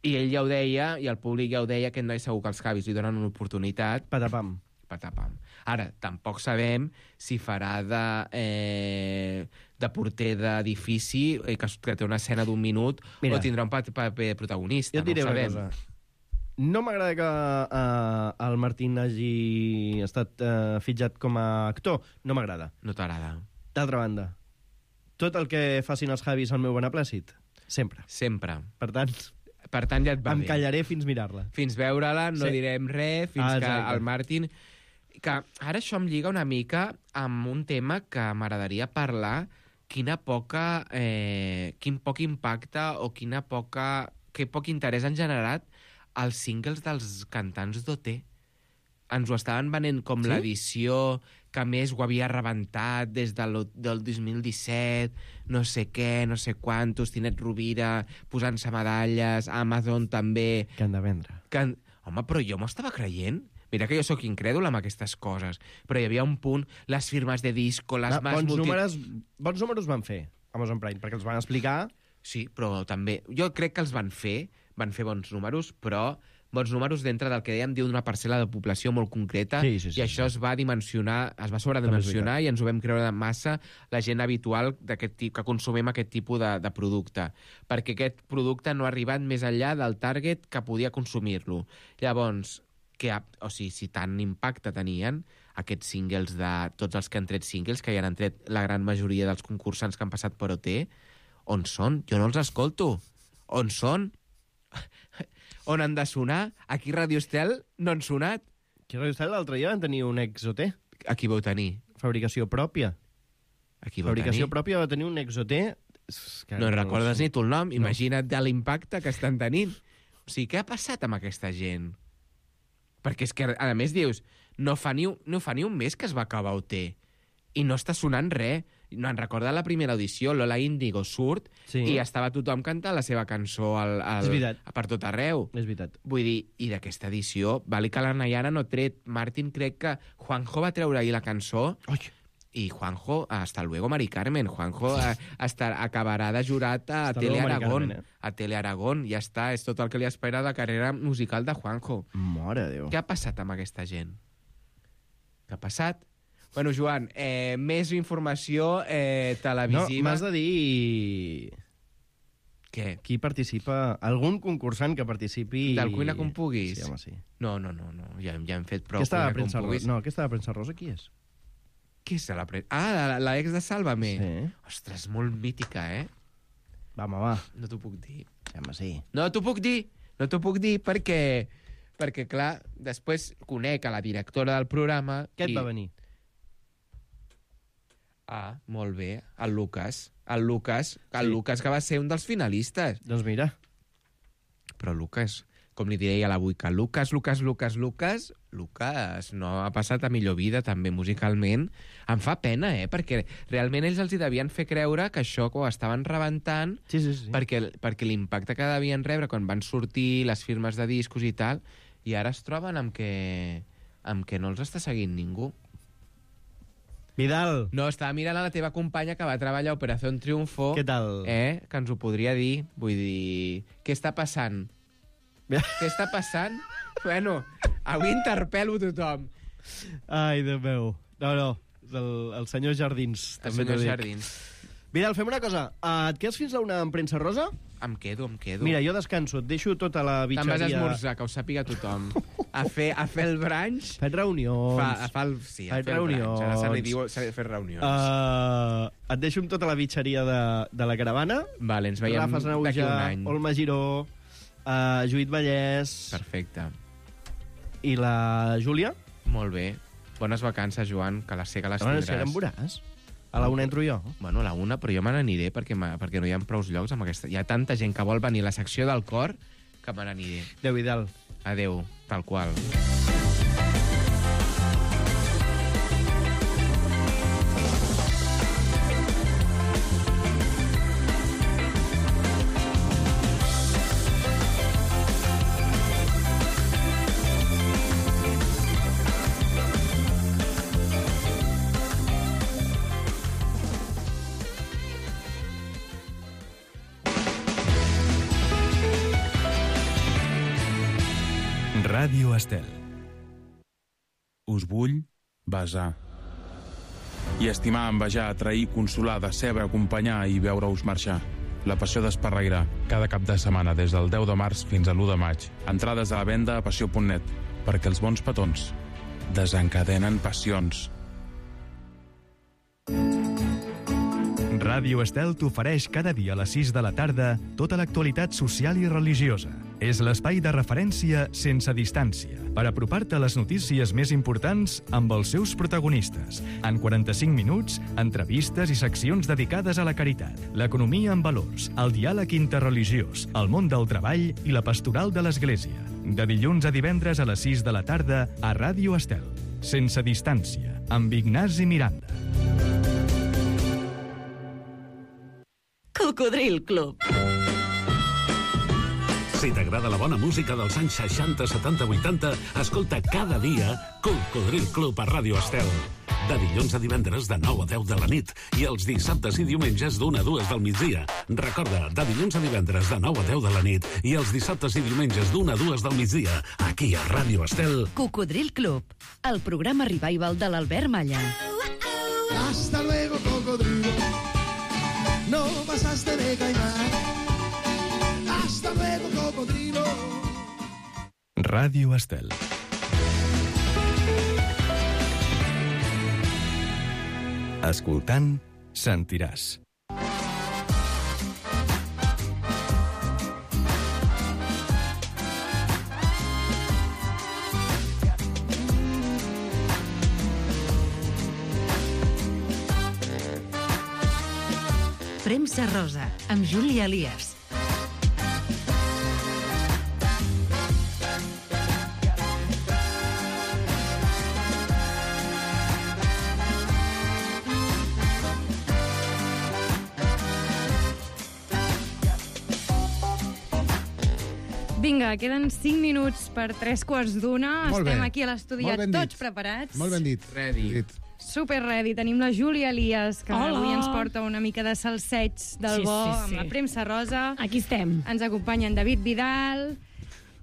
i ell ja ho deia, i el públic ja ho deia, que no és segur que els Javis li donen una oportunitat. Patapam. Patapam. Ara, tampoc sabem si farà de, eh, de porter d'edifici, eh, que, que té una escena d'un minut, Mira. o tindrà un paper, paper protagonista. Jo et diré no ho una sabem. cosa. No m'agrada que uh, el Martín hagi estat uh, fitxat com a actor. No m'agrada. No t'agrada. D'altra banda, tot el que facin els Javis al meu beneplàcit, sempre. Sempre. Per tant, Per tant, ja et va em bé. callaré fins mirar-la. Fins veure-la, no Sí. direm res, fins Ah, que exacte. el Martin... Que ara això em lliga una mica amb un tema que m'agradaria parlar, quina poca... Eh, quin poc impacte o quina poca... que poc interès han generat els singles dels cantants d'O T. Ens ho estaven venent com Sí? l'edició que més ho havia rebentat des del, del dos mil disset, no sé què, no sé quantos, Tinet Rovira posant-se medalles, Amazon també... Que han de vendre. Que, home, però jo m'ho estava creient. Mira que jo sóc incrèdul amb aquestes coses, però hi havia un punt, les firmes de disco, les Va, más bons, multi... números, bons números van fer Amazon Prime, perquè els van explicar... Sí, però també... Jo crec que els van fer, van fer bons números, però bons números dintre del que dèiem d'una parcel·la de població molt concreta, Sí, sí, sí, i això es va dimensionar, es va sobredimensionar i ens ho vam creure de massa la gent habitual d'aquest tip, que consumim aquest tipus de, de producte, perquè aquest producte no ha arribat més enllà del target que podia consumir-lo. Llavors, que, o sigui, si tant impacte tenien aquests singles de tots els que han tret singles, que ja han tret la gran majoria dels concursants que han passat per O T, on són? Jo no els escolto. On són? On han de sonar? Aquí a Ràdio Estel no han sonat. Aquí a Ràdio Estel l'altre dia van tenir un ex-O T. A qui vau tenir? Fabricació pròpia. A qui vau Fabricació tenir? pròpia va tenir un ex-O T. No recordes ni tu el nom? Imagina't de l'impacte que estan tenint. O sigui, què ha passat amb aquesta gent? Perquè és que, a més, dius, no fa ni un, no fa ni un mes que es va acabar O T i no està sonant res. No en recorda la primera audició, Lola Índigo surt sí. i estava tothom cantant la seva cançó al, al, per tot arreu. És veritat. Vull dir, i d'aquesta edició, vale que la Nayara no ha tret. Martín, crec que Juanjo va treure ahir la cançó. Oi. I Juanjo, hasta luego, Mari Carmen. Juanjo a, hasta, acabarà de jurat a hasta Tele luego, Aragón. Carmen, eh? A Tele Aragón, ja està. És tot el que li espera de carrera musical de Juanjo. Mare de Déu. Què ha passat amb aquesta gent? Què ha passat? Bueno, Joan, eh, més informació eh, televisiva... No, m'has de dir... Què? Qui participa... Algun concursant que participi... Del Cuina com puguis? Sí, home, sí. No, no, no, no. Ja, ja hem fet prou Aquesta Cuina com puguis. No, aquesta de Premsa Rosa, qui és? Qui és la premsa? Ah, l'ex de Sálvame. Sí. Ostres, molt mítica, eh? Va, home, va. No t'ho puc dir. Home, sí. No t'ho puc dir. No t'ho puc dir perquè... Perquè, clar, després conec a la directora del programa... Què et i... va venir? Ah, molt bé. El Lucas. El Lucas, el sí. Lucas que va ser un dels finalistes. Doncs mira. Però Lucas, com li diria l'avui, que Lucas, Lucas, Lucas, Lucas, Lucas no ha passat a millor vida també musicalment. Em fa pena, eh? Perquè realment ells els hi devien fer creure que això ho estaven rebentant sí, sí, sí. perquè, perquè l'impacte que devien rebre quan van sortir les firmes de discos i tal, i ara es troben amb que, amb que no els està seguint ningú. Vidal. No, estava mirant a la teva companya que va treballar a Operació Triunfo. Què tal? Eh? Que ens ho podria dir. Vull dir... Què està passant? Què està passant? Bueno, avui interpel·lo tothom. Ai, Déu meu. No, no. El, el senyor Jardins. El també senyor Jardins. Vidal, fem una cosa. Uh, et quedes fins a una en Premsa Rosa? Em quedo, em quedo. Mira, jo descanso. Et deixo tota la bitxeria... Te'n vas a esmorzar, que ho sàpiga tothom. A fer, a fer el brunch... Fet reunions. Fa, a fa el, sí, a Fet fer reunions. el brunch. Ara se li diu se li fer reunions. Uh, et deixo amb tota la bitxeria de, de la caravana. Vale, ens veiem Rafa d'aquí un any. Olma Giró, uh, Judit Vallès... Perfecte. I la Júlia. Molt bé. Bones vacances, Joan, que la sé que les no, tindràs. Si ara em veuràs. A la una entro jo. Bueno, a la una, però jo me n'aniré perquè, perquè no hi ha prou llocs amb aquesta... Hi ha tanta gent que vol venir a la secció del cor que me n'aniré. Adéu, Vidal. Adéu, tal qual. Ràdio Estel. Us vull besar. I estimar, envejar, atrair, consolar, decebre, acompanyar i veure-us marxar. La passió d'Esparreguera, cada cap de setmana des del deu de març fins a l'u de maig. Entrades a la venda a passió punt net, perquè els bons petons desencadenen passions. Ràdio Estel t'ofereix cada dia a les sis de la tarda tota l'actualitat social i religiosa. És l'espai de referència sense distància per apropar-te a les notícies més importants amb els seus protagonistes. En quaranta-cinc minuts, entrevistes i seccions dedicades a la caritat, l'economia en valors, el diàleg interreligiós, el món del treball i la pastoral de l'Església. De dilluns a divendres a les sis de la tarda a Ràdio Estel. Sense distància, amb Ignasi Miranda. Cocodril Club. Si t'agrada la bona música dels anys seixanta, setanta, vuitanta, escolta cada dia Cocodril Club a Ràdio Estel. De dilluns a divendres de nou a deu de la nit i els dissabtes i diumenges d'una a dues del migdia. Recorda, de dilluns a divendres de nou a deu de la nit i els dissabtes i diumenges d'una a dues del migdia, aquí a Ràdio Estel. Cocodril Club, el programa revival de l'Albert Malla. Hasta luego, cocodrilo. No pasaste de caimán. Hasta luego, cocodrilo. Ràdio Estel. Escoltant, sentiràs. Premsa Rosa, amb Júlia Elias. Vinga, queden cinc minuts per tres quarts d'una. Molt Estem bé. aquí a l'estudi Molt ben dit. tots preparats. Molt ben dit. Ready. Dit. Super ready. Tenim la Júlia Elias, que Hola. avui ens porta una mica de salseig del Sí, bo, sí, amb sí. la premsa rosa. Aquí estem. Ens acompanya en David Vidal.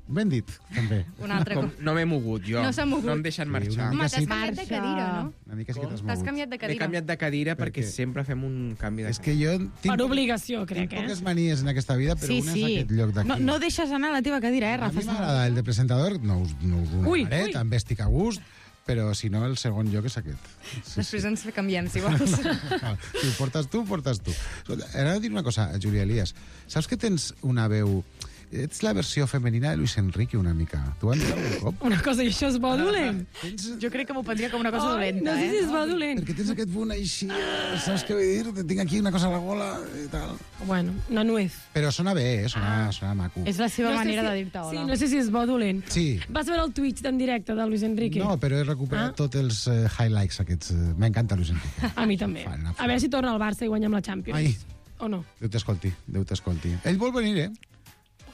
Ben dit, també. Un altre Com, no m'he mogut, jo. No s'ha mogut. No em deixen marxar. una Home, mica t'has sí. canviat de cadira, no? Una mica sí que t'has T'has mogut. canviat de M'he cadira. canviat de cadira perquè, Perquè- sempre fem un canvi de És que jo tinc, Per obligació, crec, tinc eh? poques manies en aquesta vida, però Sí, una sí. és aquest lloc d'aquí. No, no deixes anar la teva cadira, eh, A Rafa? mi m'agrada el de presentador, no us, no us ho Ui, negaré, ui. també estic a gust, però si no, el segon lloc és aquest. Sí, Després ens canviem, si vols. Ah, si ho portes tu, ho portes tu. Escolta, ara he de dir una cosa, Júlia Elias. Saps que tens una veu... Ets la versió femenina de Luis Enrique, una mica. Tu ho has dit algun cop? Una cosa, i això és bo dolent? Jo crec que m'ho prendria com una cosa Ai, dolenta, no sé si eh? és bo dolent. Perquè tens aquest punt així, saps què vull dir? Te tinc aquí una cosa a la gola i tal. Bueno, una nuez. Però sona bé, eh? Sona, sona maco. És la seva No sé manera si- de dir-te hola. Sí, no sé si és bo o dolent. Sí. Vas veure el Twitch en directe de Luis Enrique? No, però he recuperat Ah. tots els eh, highlights aquests. eh, M'encanta Luis Enrique. A mi també. Fan una A veure si torna al Barça i guanyem la Champions. Ai. O no? Déu t'escolti, Déu t'escolti. Ell vol venir, eh?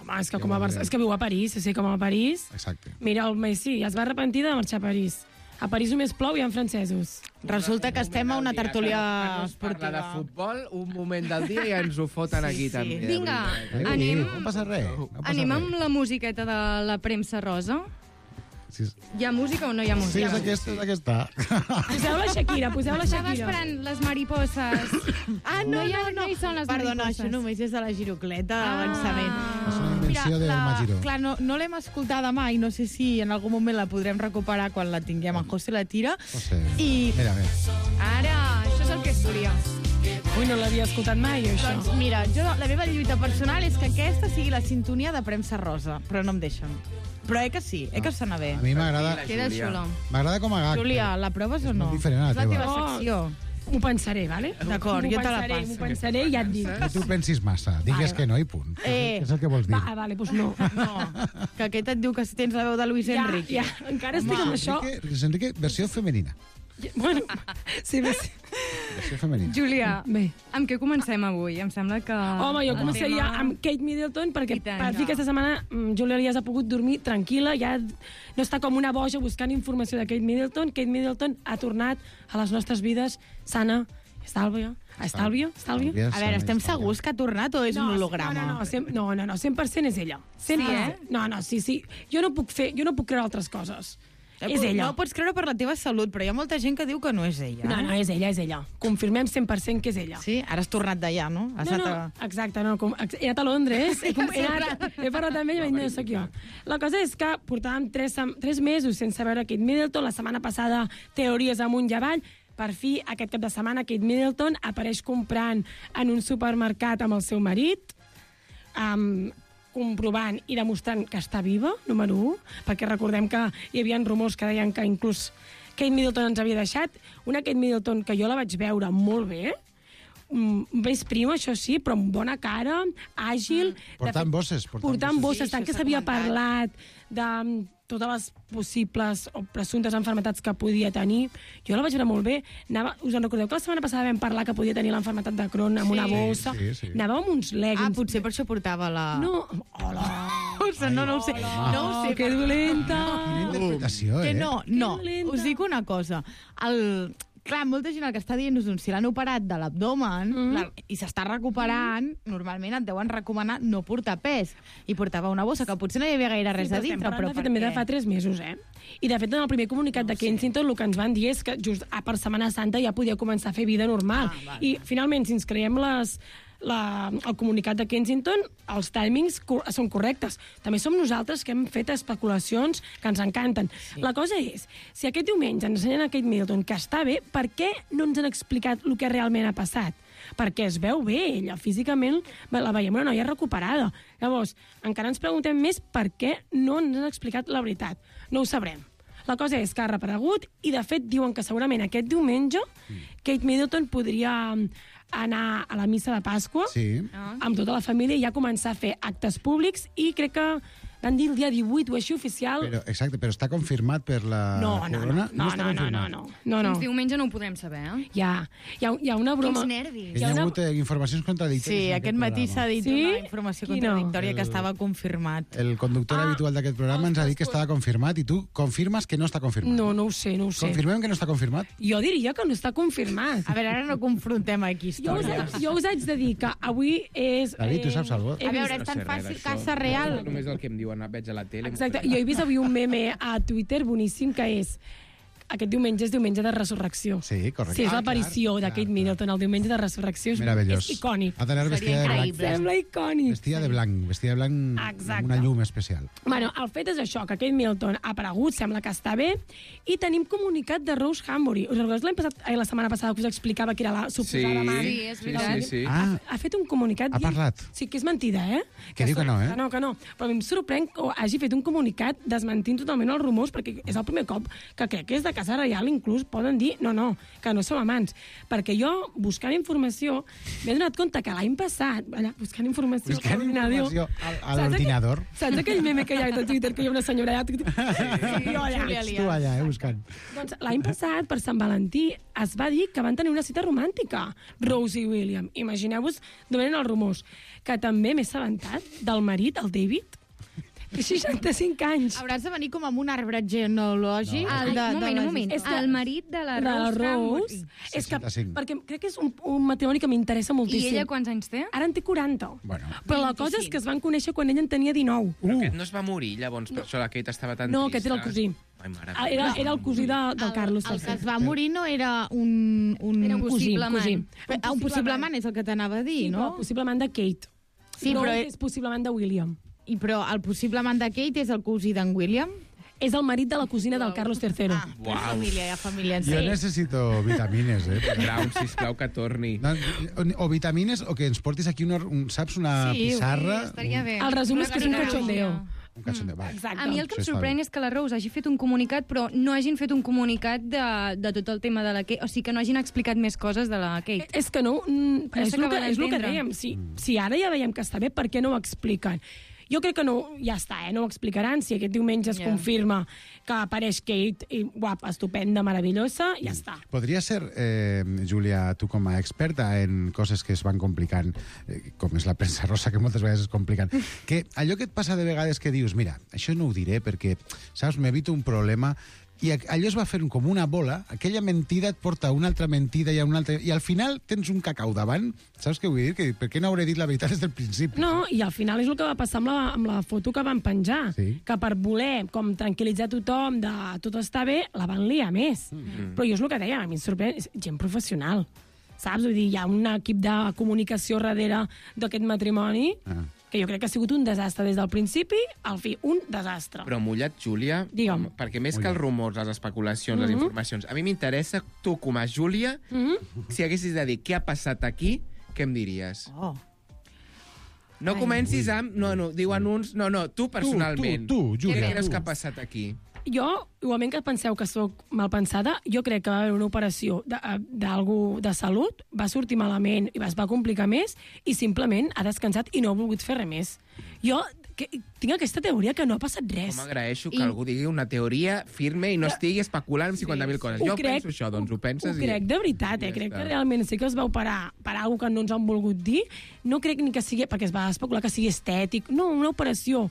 Home, és que com a Barça... És que viu a París, sí, com a París. Exacte. Mira, el Messi es va arrepentir de marxar a París. A París només plou i hi ha francesos. Resulta que estem a una tertúlia Parla de esportiva. futbol, un moment del dia i ens ho foten aquí, sí. també. de Vinga, veritat. anem, No passa res. No passa anem res. amb la musiqueta de la premsa rosa. Sí, Hi ha música o no hi ha sí, música? és aquesta, és aquesta. Poseu la Shakira, poseu la Estava Shakira. esperant les mariposses. Ah, no, No hi ha- no, no. no hi són les Perdona, mariposses. això només és de la girocleta Ah. d'avançament. És una invenció del Magiro. Clar, no, no l'hem escoltada mai, no sé si en algun moment la podrem recuperar quan la tinguem en José la tira. José. I Mira, mira. Ara, això és el que es volia. Ui, no l'havia escoltat mai, jo, això. Doncs mira, jo, la meva lluita personal és que aquesta sigui la sintonia de premsa rosa, però no em deixen. Però eh que sí, eh que sona bé. A mi m'agrada Queda xulo. m'agrada com a gag. Júlia, la proves o no? molt diferent a la És la teva. teva Oh. secció. M'ho pensaré, vale? D'acord, M'ho jo te la pensaré, passo. M'ho pensaré i ja et dic. No t'ho pensis massa. Digues Vale, que no i punt. Eh. És el que vols dir. Va, vale, doncs no. No, que aquest et diu que si tens la veu de Luis Ja, Enrique. ja, encara estic amb això. Enrique, Luis Enrique, versió femenina. Bueno, sí, bé, sí. Versió femenina. Júlia, Bé. amb què comencem avui? Em sembla que... Home, jo el començaria tema- amb Kate Middleton, perquè I tant, per fi ja. aquesta setmana mm, Júlia Elias ha pogut dormir tranquil·la, ja no està com una boja buscant informació de Kate Middleton. Kate Middleton ha tornat a les nostres vides sana, estàlvia, estàlvia, estàlvia. A veure, estem segurs que ha tornat o és un holograma? No, no, no, cent, no, no, no, cent per cent és ella. cent per cent. Sí, eh? No, no, sí, sí. Jo no puc fer, jo no puc creure altres coses. És ella. No pots creure per la teva salut, però hi ha molta gent que diu que no és ella. No, no, és ella, és ella. Confirmem cent per cent que és ella. Sí? Ara has tornat d'allà, no? Has No, no, anat a... exacte, no, com, ex- he anat a Londres, he, com, he, anat, he parlat amb ell i vaig dir, no soc jo. La cosa és que portàvem tres, sem- tres mesos sense veure Kate Middleton, la setmana passada teories amunt i avall, per fi, aquest cap de setmana, Kate Middleton apareix comprant en un supermercat amb el seu marit, um, comprovant i demostrant que està viva, número un, perquè recordem que hi havia rumors que deien que inclús Kate Middleton ens havia deixat, una Kate Middleton que jo la vaig veure molt bé, mm, més prima, això sí, però amb bona cara, àgil... Mm. Portant fet, bosses, portant Portant bosses. bosses, Sí, tant això que s'ha s'havia comentat. parlat de mm, totes les possibles o presumptes enfermetats que podia tenir. Jo la vaig veure molt bé. Anava, us en recordeu que la setmana passada vam parlar que podia tenir l'enfermetat de Crohn amb Sí. una bossa? Sí, sí. Anava amb uns leggings. Ah, potser per això portava la... No, hola. O sigui, no, no ho sé. No ho sé. que dolenta. Quina interpretació, Que eh? no, no. dolenta. Us dic una cosa. El... Clar, molta gent el que està dient és doncs, si l'han operat de l'abdomen Mm. la... i s'està recuperant, normalment et deuen recomanar no portar pes. I portava una bossa que potser no hi havia gaire res Sí, a però estem dintre, parlant, però de fet, per també de què? fa tres mesos, eh? I, de fet, en el primer comunicat no de Kensington, el que ens van dir és que just ah, per Setmana Santa ja podia començar a fer vida normal. Ah, vale. I, finalment, si ens creiem les la, el comunicat de Kensington, els timings co són correctes. També som nosaltres que hem fet especulacions que ens encanten. Sí. La cosa és, si aquest diumenge ens ensenyen a Kate Middleton que està bé, per què no ens han explicat el que realment ha passat? Perquè es veu bé, ella físicament la veiem una noia recuperada. Llavors, encara ens preguntem més per què no ens han explicat la veritat. No ho sabrem. La cosa és que ha reaparegut i, de fet, diuen que segurament aquest diumenge Kate Middleton podria anar a la missa de Pasqua sí. amb tota la família i ja començar a fer actes públics i crec que van dir el dia divuit o així oficial. Però, exacte, però està confirmat per la no, no, corona? No, no, està no, no, no, no, no, no. Fins diumenge no ho podrem saber, eh? Hi ha, hi ha, hi ha una broma... Quins nervis. Hi ha hagut eh, informacions contradictòries. Sí, aquest matí s'ha dit sí? una informació contradictòria El- que estava confirmat. El conductor Ah, habitual d'aquest programa ens ha dit que estava confirmat i tu confirmes que no està confirmat. No, no ho sé, no ho sé. Confirmem que no està confirmat? Jo diria que no està confirmat. A veure, ara no confrontem aquí Jo us, històries. jo us haig de dir que avui és... David, tu saps alguna cosa? A veure, és tan fàcil, casa real. Només el que em diuen, veig a la tele... Exacte, jo he vist avui un meme a Twitter boníssim que és aquest diumenge és diumenge de resurrecció. Sí, correcte. Sí, és Ah, l'aparició clar, de Kate Middleton, el diumenge de resurrecció. És, Meravellós. és icònic. Ha d'anar vestida de blanc. Sembla icònic. Vestida de blanc, vestida de blanc Exacte. amb una llum especial. Bueno, el fet és això, que Kate Middleton ha aparegut, sembla que està bé, i tenim comunicat de Rose Hambury. Us recordeu l'any passat, eh, la setmana passada que us explicava que era la suposada Sí, mare? sí, és veritat. Sí, sí, sí. Ha, Ah. ha fet un comunicat... Ha dient- parlat? Sí, que és mentida, eh? Que diu que no, eh? Que no, que no. Però a mi em sorprèn que hagi fet un comunicat desmentint totalment els rumors, perquè és el primer cop que crec que és de Casa Reial, inclús poden dir, no, no, que no som amants. Perquè jo, buscant informació, m'he donat compte que l'any passat, allà, buscant informació Buscant a l'ordinador... informació al- a saps l'ordinador. aquell- Saps aquell meme que hi ha a Twitter, que hi ha una senyora allà... Sí, jo allà. Ets tu allà, eh, buscant. Doncs l'any passat, per Sant Valentí, es va dir que van tenir una cita romàntica, Rose i William. Imagineu-vos d'on eren els rumors. Que també m'he assabentat del marit, el David, té seixanta-cinc anys. Hauràs de venir com amb un arbre genealògic. No. El de, Ai, un moment, de un les moment. històries. El marit de la de la Rose Rose. Hambury. És que, seixanta-cinc. perquè crec que és un, un matrimoni que m'interessa moltíssim. I ella quants anys té? Ara en té quaranta. Bueno. Però la cosa és que es van conèixer quan ella en tenia dinou. Però aquest no es va morir, llavors, per això la Kate estava tan No, trista. aquest era el cosí. Ai, mare Ah, Era, era el cosí de, del El- Carlos El que tercer. es va morir no era un... un Era un cosí, possible cosí. amant. Ah, un possible amant és el que t'anava a dir, Sí, no? però possiblement de Kate. Sí, no però- és possiblement de William. I però el possible amant de Kate és el cosí d'en William? És el marit de la cosina del Carlos tercer. Ah, hi ha família, hi ha família en Jo sí. necessito vitamines, eh? Brown, sisplau, que torni. No, o, o vitamines o que ens portis aquí, una, un, saps, una Sí, pissarra. sí, estaria bé. El resum és que és un Una cachondeo. Un cachondeo, va. Exacte. A mi el que em Això està sorprèn bé. és que la Rose hagi fet un comunicat, però no hagin fet un comunicat de, de tot el tema de la Kate. O sigui, que no hagin explicat més coses de la Kate. És que no... Mm, No és, el s'acaba que, és el que d'entendre. dèiem. Si, si ara ja veiem que està bé, per què no ho expliquen? Jo crec que no, ja està, eh? No ho explicaran. Si aquest diumenge es Ja. confirma que apareix Kate, i, guapa, estupenda, meravellosa, ja està. Podria ser, eh, Júlia, tu com a experta en coses que es van complicant, eh, com és la premsa rosa, que moltes vegades es compliquen, que allò que et passa de vegades que dius, mira, això no ho diré perquè, saps, m'evito un problema, i allò es va fer com una bola, aquella mentida et porta a una altra mentida i a una altra... I al final tens un cacau davant, saps què vull dir? Que, per què no hauré dit la veritat des del principi? No, i al final és el que va passar amb la, amb la foto que van penjar. Sí. Que per voler com tranquil·litzar tothom de tot està bé, la van liar més. Mm. Però jo és el que deia, a mi em sorprèn, és gent professional. Saps? Vull dir, hi ha un equip de comunicació darrere d'aquest matrimoni Ah. que jo crec que ha sigut un desastre des del principi al fi, un desastre. Però mullat, Júlia, Digue'm. perquè més que els rumors, les especulacions, les Mhm. informacions, a mi m'interessa, tu com a Júlia, Mhm. si haguessis de dir què ha passat aquí, què em diries? Oh. No Ai. comencis amb... No, no, diuen uns... No, no, tu personalment. tu, tu, Júlia, Què creus tu. que ha passat aquí? Jo, igualment que penseu que sóc mal pensada, jo crec que va haver una operació de- d'algú de, de salut, va sortir malament i es va complicar més i simplement ha descansat i no ha volgut fer res més. Jo que, tinc aquesta teoria que no ha passat res. Com agraeixo que I- algú digui una teoria firme i no estigui especulant amb cinquanta mil coses. Ho Jo crec- penso això, doncs ho penses Ho i... crec de veritat, eh? ja Crec està. que realment sí que es va operar per alguna que no ens han volgut dir. No crec ni que sigui, perquè es va especular que sigui estètic. No, una operació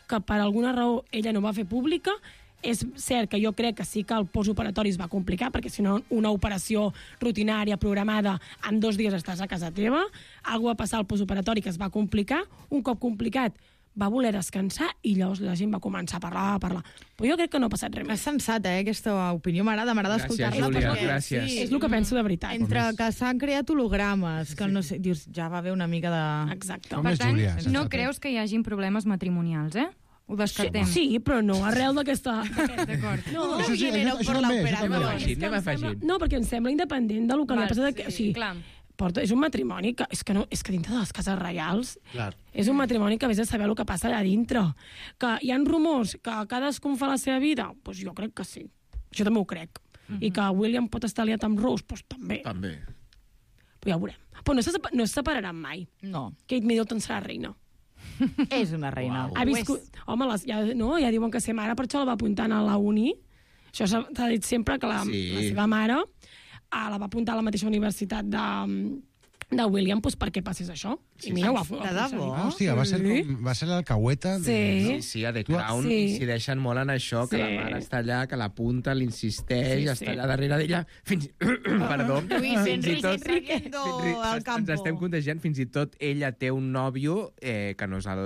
que per alguna raó ella no va fer pública. És cert que jo crec que sí que el postoperatori es va complicar, perquè si no una operació rutinària, programada, en dos dies estàs a casa teva. Algú va passar al postoperatori que es va complicar. Un cop complicat, va voler descansar i llavors la gent va començar a parlar, a parlar. Però jo crec que no ha passat res més. És sensat, eh, aquesta opinió. M'agrada, m'agrada escoltar-la. Júlia, perquè- gràcies. Sí. És el que penso de veritat. Entre que s'han creat hologrames, que no sé, dius, ja va haver una mica de... Exacte. Per tant, no creus que hi hagin problemes matrimonials, eh? Ho descartem. Sí, sí, però no arrel d'aquesta... D'acord. No, Això sí, això- això també, això també. Anem afegint, anem afegint. No, perquè em sembla independent del que li Val, ha passat. Que, o sí, sigui, clar. porta, és un matrimoni que és, que no, és que dintre de les cases reials Clar. és un matrimoni que vés a saber el que passa allà dintre. Que hi ha rumors que cadascun fa la seva vida, doncs jo crec que sí. Jo també ho crec. Mhm. I que William pot estar aliat amb Rose, doncs també. També. Però ja ho veurem. Però no se, sepa- no es separaran mai. No. Kate Middleton serà reina. És una reina. Ha viscut... Home, les, ja, no, ja diuen que ser mare, per això la va apuntant a la uni. Això s'ha s'ha dit sempre, que la, Sí. la seva mare ah, la va apuntar a la mateixa universitat de, de William, doncs perquè passés això. I mira, ho ha, ho ha De debò? aconseguit. Ah, hòstia, va ser, com, va ser l'alcahueta de... Sí. Sí, sí, a The Crown Sí. s'hi deixen molt en això, que Sí. la mare està allà, que l'apunta, l'insisteix, Sí, sí. està allà darrere d'ella. Fins... Perdó. Luis fins i Enrique tot... saliendo al Ens campo. estem contagiant, fins i tot ella té un nòvio, eh, que no és el,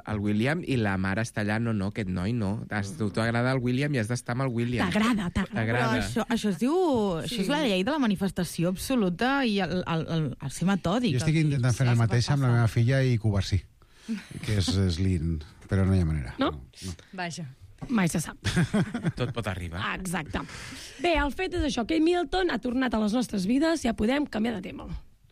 el William, i la mare està allà, no, no, aquest noi no. Has- Tu t'agrada el William i has d'estar amb el William. T'agrada, t'agrada. Però T'agrada. això, això es diu... Sí. Això és la llei de la manifestació absoluta i el, el, el, el ser metòdic. Jo estic intentant fer el mateix amb la meva filla i Cubarsí, que és, és lind, però no hi ha manera. No? Vaja. Mai se sap. Tot pot arribar. Ah, exacte. Bé, el fet és això, que Middleton ha tornat a les nostres vides, ja podem canviar de tema.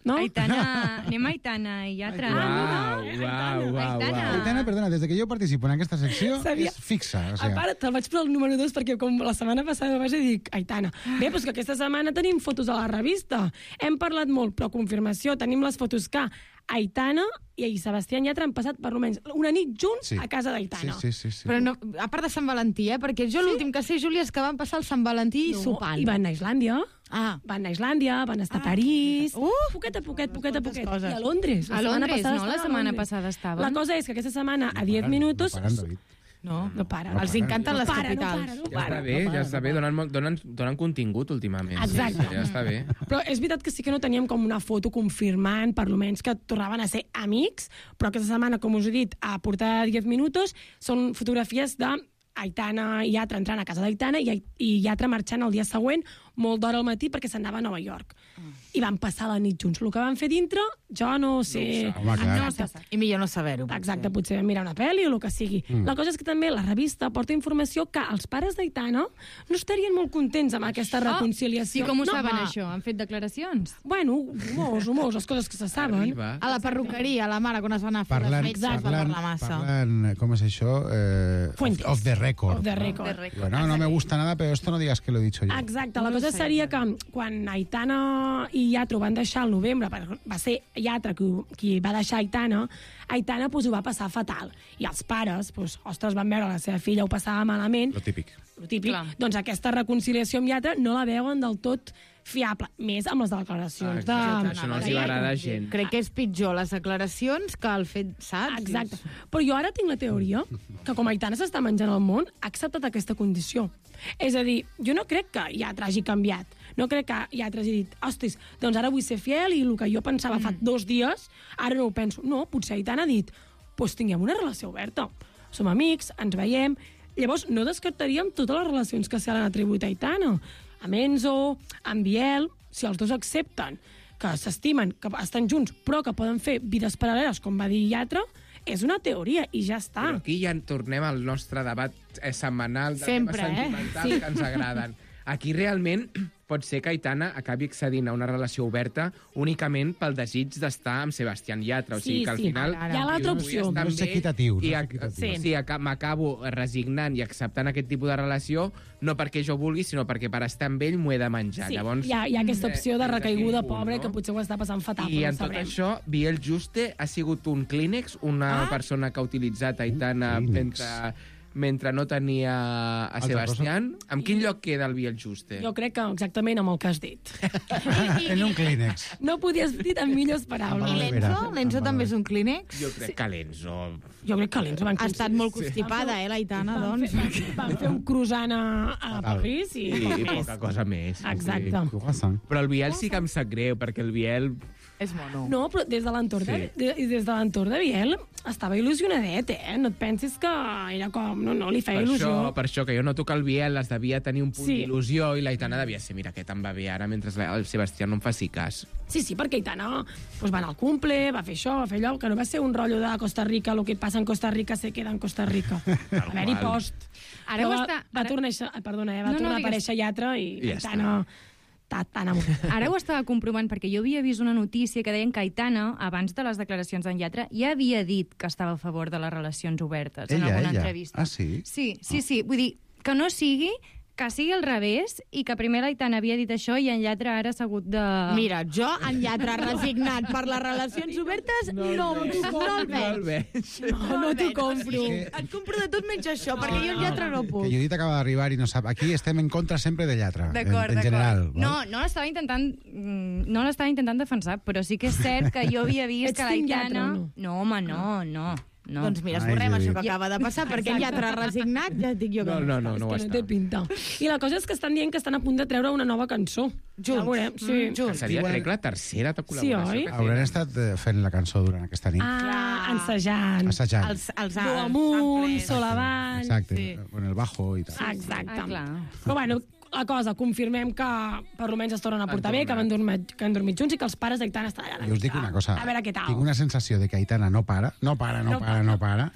No? Aitana, anem a Aitana i Yatra. Uau, uau, uau, Aitana. uau. Aitana, perdona, des de que jo participo en aquesta secció Sabia- és fixa. O A sigui, part, te'l vaig posar el número dos perquè com la setmana passada vaig dir, dic, Aitana, bé, doncs que aquesta setmana tenim fotos a la revista. Hem parlat molt, però confirmació, tenim les fotos que Aitana i Sebastián Yatra han passat per almenys una nit junts Sí. a casa d'Aitana. sí, sí, sí, sí. Però no, a part de Sant Valentí, eh? Perquè jo l'últim que sé, Júlia, és que van passar el Sant Valentí No, sopant. I van a Islàndia. Ah. Van a Islàndia, van estar a París... Uh, poquet a poquet, poquet a quantes poquet. coses. I a Londres. A setmana Londres, passada no? La estaven a setmana Londres. passada estaven. La cosa és que aquesta setmana, a diez paren, minutos... No paren, David. No, No para. No els paren. encanten No les para, no capitals. para, no Ja para. està bé, ja està bé, donen, molt- donen, donen contingut últimament. Exacte. Ja està bé. Però és veritat que sí que no teníem com una foto confirmant, per almenys que tornaven a ser amics, però aquesta setmana, com us he dit, a portada de diez minutos, són fotografies de Aitana i Yatra entrant a casa d'Aitana i, i Yatra marxant el dia següent, molt d'hora al matí, perquè s'anava a Nova York. I van passar la nit junts. El que van fer dintre, jo no sé... Home, clar. no sé. I millor no saber-ho. Exacte, potser vam mirar una pel·li o el que sigui. Mm. La cosa és que també la revista porta informació que els pares d'Aitana no estarien molt contents amb aquesta reconciliació. I com ho no, saben, va. això? Han fet declaracions? Bueno, rumors, rumors, les coses que se saben. Arriba. A la perruqueria, a la mare, quan es van anar a fer Parlant, les metges, va parlant, parlar massa. parlant, com és això? Eh, Fuentes. off the record. Off the record. Bueno, no me gusta nada, pero esto no digas que lo he dicho yo. Exacte, la cosa seria que quan Aitana i Yatra ho van deixar al novembre, perquè va ser Yatra qui, qui va deixar Aitana, Aitana pues, ho va passar fatal. I els pares, pues, ostres, van veure la seva filla ho passava malament, Lo típic. lo típic, Clar. doncs aquesta reconciliació amb Yatra no la veuen del tot fiable, més amb les declaracions de... Exacte, això no els de hi va Yatra. agradar gent. Crec que és pitjor les declaracions que el fet, saps? Exacte. Però jo ara tinc la teoria que com Aitana s'està menjant el món, ha acceptat aquesta condició. És a dir, jo no crec que Yatra hagi canviat. No crec que Yatra hagi dit, hostis, doncs ara vull ser fiel i el que jo pensava mm. fa dos dies, ara no ho penso. No, potser Aitana ha dit, doncs tinguem una relació oberta. Som amics, ens veiem... Llavors, no descartaríem totes les relacions que se l'han atribuït a Aitana. Amb Enzo, amb Biel, si els dos accepten que s'estimen, que estan junts, però que poden fer vides paral·leles, com va dir Yatra, és una teoria i ja està. Però aquí ja tornem al nostre debat eh, setmanal de Sempre, temes eh? sentimentals Sí. que ens agraden. Aquí realment pot ser que Aitana acabi accedint a una relació oberta únicament pel desig d'estar amb Sebastián Yatra. O sigui Sí, que al sí, final... ara, ara. Hi ha l'altra vull opció. estar No amb és ell equitatiu, no I, és ac- equitatiu. sí, sí, aca- m'acabo resignant i acceptant aquest tipus de relació, no perquè jo vulgui, sinó perquè per estar amb ell m'ho he de menjar. Sí, Llavors, hi, ha, hi ha aquesta opció de eh, recaiguda d'aquell punt, pobre no? que potser ho està passant fatal, I però en no tot sabrem. això, Biel Juste ha sigut un clínex, una Ah. persona que ha utilitzat Aitana clínex. mentre, mentre no tenia a Altra Sebastián. En quin lloc queda el Biel Juste? Jo crec que exactament amb el que has dit. En un clínex. No podies dir en millors paraules. I l'Enzo? L'Enzo també és un clínex? Jo crec que l'Enzo... Jo crec que l'Enzo van Ha estat molt constipada, eh, l'Aitana, Van doncs. fer, van fer un croissant a, a París i, I poc més. poca cosa més. Exacte. Sí. Però el Biel sí que em sap greu, perquè el Biel... És mono. No, però des de l'entorn Sí. de, de, des de l'entorn de Biel estava il·lusionadet, eh? No et pensis que era com... No, no, li feia Per il·lusió. això, per això, que jo noto que el Biel es devia tenir un punt Sí. d'il·lusió i l'Aitana devia ser, mira, aquest em va bé ara, mentre el Sebastià no em faci cas. Sí, sí, perquè Aitana pues, va anar al cumple, va fer això, va fer allò, que no va ser un rotllo de Costa Rica, el que passa en Costa Rica se queda en Costa Rica. A veure-hi qual. post. Ara Però ho va, està- va ara- tornar, a eixa- perdona, eh, va No, no, tornar a digues. aparèixer Yatra i I ja Aitana està tan amunt. Ara ho estava comprovant perquè jo havia vist una notícia que deien que Aitana, abans de les declaracions d'en Yatra, ja havia dit que estava a favor de les relacions obertes en Ella, alguna ella. entrevista. Ah, sí? Sí, sí, sí. Vull dir, que no sigui que sigui al revés i que primer l'Aitana havia dit això i en Yatra ara s'ha hagut de... Mira, jo, en Yatra resignat per les relacions obertes, no, no, no, no el veig. No, no t'ho compro. Et compro de tot menys això, perquè jo en Yatra no puc. Que Judit acaba d'arribar i no sap... Aquí estem en contra sempre de Llatra, en, D'acord, en general. d'acord. No, no l'estava intentant, mm, no l'estava intentant defensar, però sí que és cert que jo havia vist Ets que team l'Aitana... Yatra o no? No, home, no, no. No. Doncs mira, Ai, esborrem Judit. això que acaba de passar, perquè en Yatra resignat ja et dic jo que No, no, no, no ho És que no està. té pinta. I la cosa és que estan dient que estan a punt de treure una nova cançó. Ja ho veurem, sí. Que seria, crec, la tercera Sí, col·laboració oi? que Hauran estat eh, fent la cançó durant aquesta nit. Ah, ensajant. Assajant. Els, els, Do amunt, sol avall... Exacte, sí. con el bajo i tal. Exacte. Ah, clar. Però bueno, la cosa, confirmem que per almenys es tornen a portar Han bé, que han, dormit, que han dormit junts i que els pares d'Aitana estan allà. Jo us dic una cosa. A veure què tal. Tinc una sensació de que Aitana no para, no para, no, No para, no para.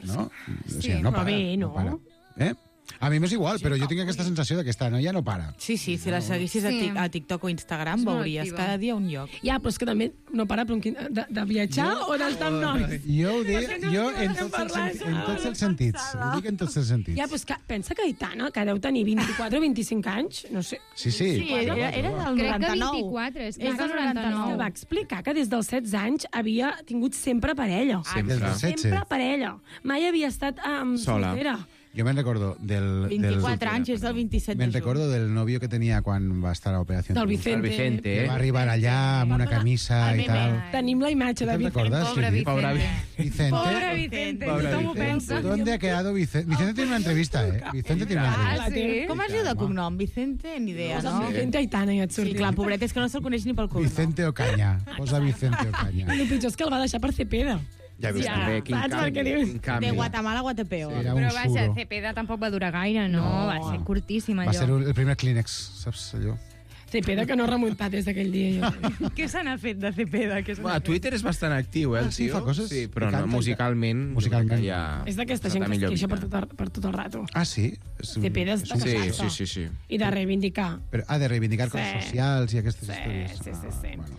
No? O sigui, no però para, bé, no? para. Eh? A mi m'és igual, però jo tinc aquesta sensació de que esta noia no para. Sí, sí, si la seguissis a, Sí. tic, a TikTok o Instagram És molt veuries activa. cada dia un lloc. Ja, però és que també no para però, quin- de, de viatjar o d'estar amb nois. Jo ho dic, Perquè no jo estem en tots, els, parlant. sen- en tots els sentits. Ho dic en tots els sentits. Ja, però és que pensa que Aitana, que deu tenir vint-i-quatre o vint-i-cinc anys, no sé, Sí, sí. Sí, era, era del Crec que noranta-nou. vint-i-quatre, és que És és del del que noranta-nou. va explicar que des dels setze anys havia tingut sempre parella. Des dels setze. Sempre parella. Mai havia estat um, Sola. soltera. Jo me'n recordo del... vint-i-quatre del, anys, és del vint-i-set de Me'n juny. recordo del novio que tenia quan va estar a Operació Del Triunfo. Vicente. El Vicente, Que eh? va arribar allà amb una camisa i tal. Tenim la imatge de ¿Te Vicente. recordas? Pobre Sí, sí. Vicente. Vicente. Pobre Vicente, Pobre tothom ho Vicente. pensa. ¿Dónde ha quedado Vicente? Vicente tiene una entrevista, ¿eh? Vicente tiene una Ah, entrevista. sí? Com es diu de cognom? Vicente? Ni idea, Posa no? Vicente Aitana i et Sí, sortirà. clar, pobret, és que no se'l coneix ni pel cognom. Vicente Ocaña. Posa Vicente Ocaña. I el pitjor és que el va deixar per Cepeda. Ja veus. Ja, També, quin saps canvi, per què dius? quin canvi. De Guatemala a Guatepeo. Sí, era un Però vaja, suro. Cepeda tampoc va durar gaire, no? No. Va ser curtíssim, allò. Va ser el primer Kleenex, saps allò? Cepeda que no ha remuntat des d'aquell dia. Jo. Què se n'ha fet de Cepeda? Què se n'ha Bueno, a Twitter és bastant actiu, eh, el Ah, sí, tio. fa coses Sí, però i no, canta i musicalment, Musicalment. jo crec que ja... És d'aquesta està gent que es millor queixa per vida. tot, el, per tot el rato. Ah, sí? És un- Cepeda és és un- Sí, d'aquesta. sí, sí, sí. I de reivindicar. Però ha de reivindicar coses Sí. socials i aquestes Sí, històries. sí, sí, Ah, sí. bueno.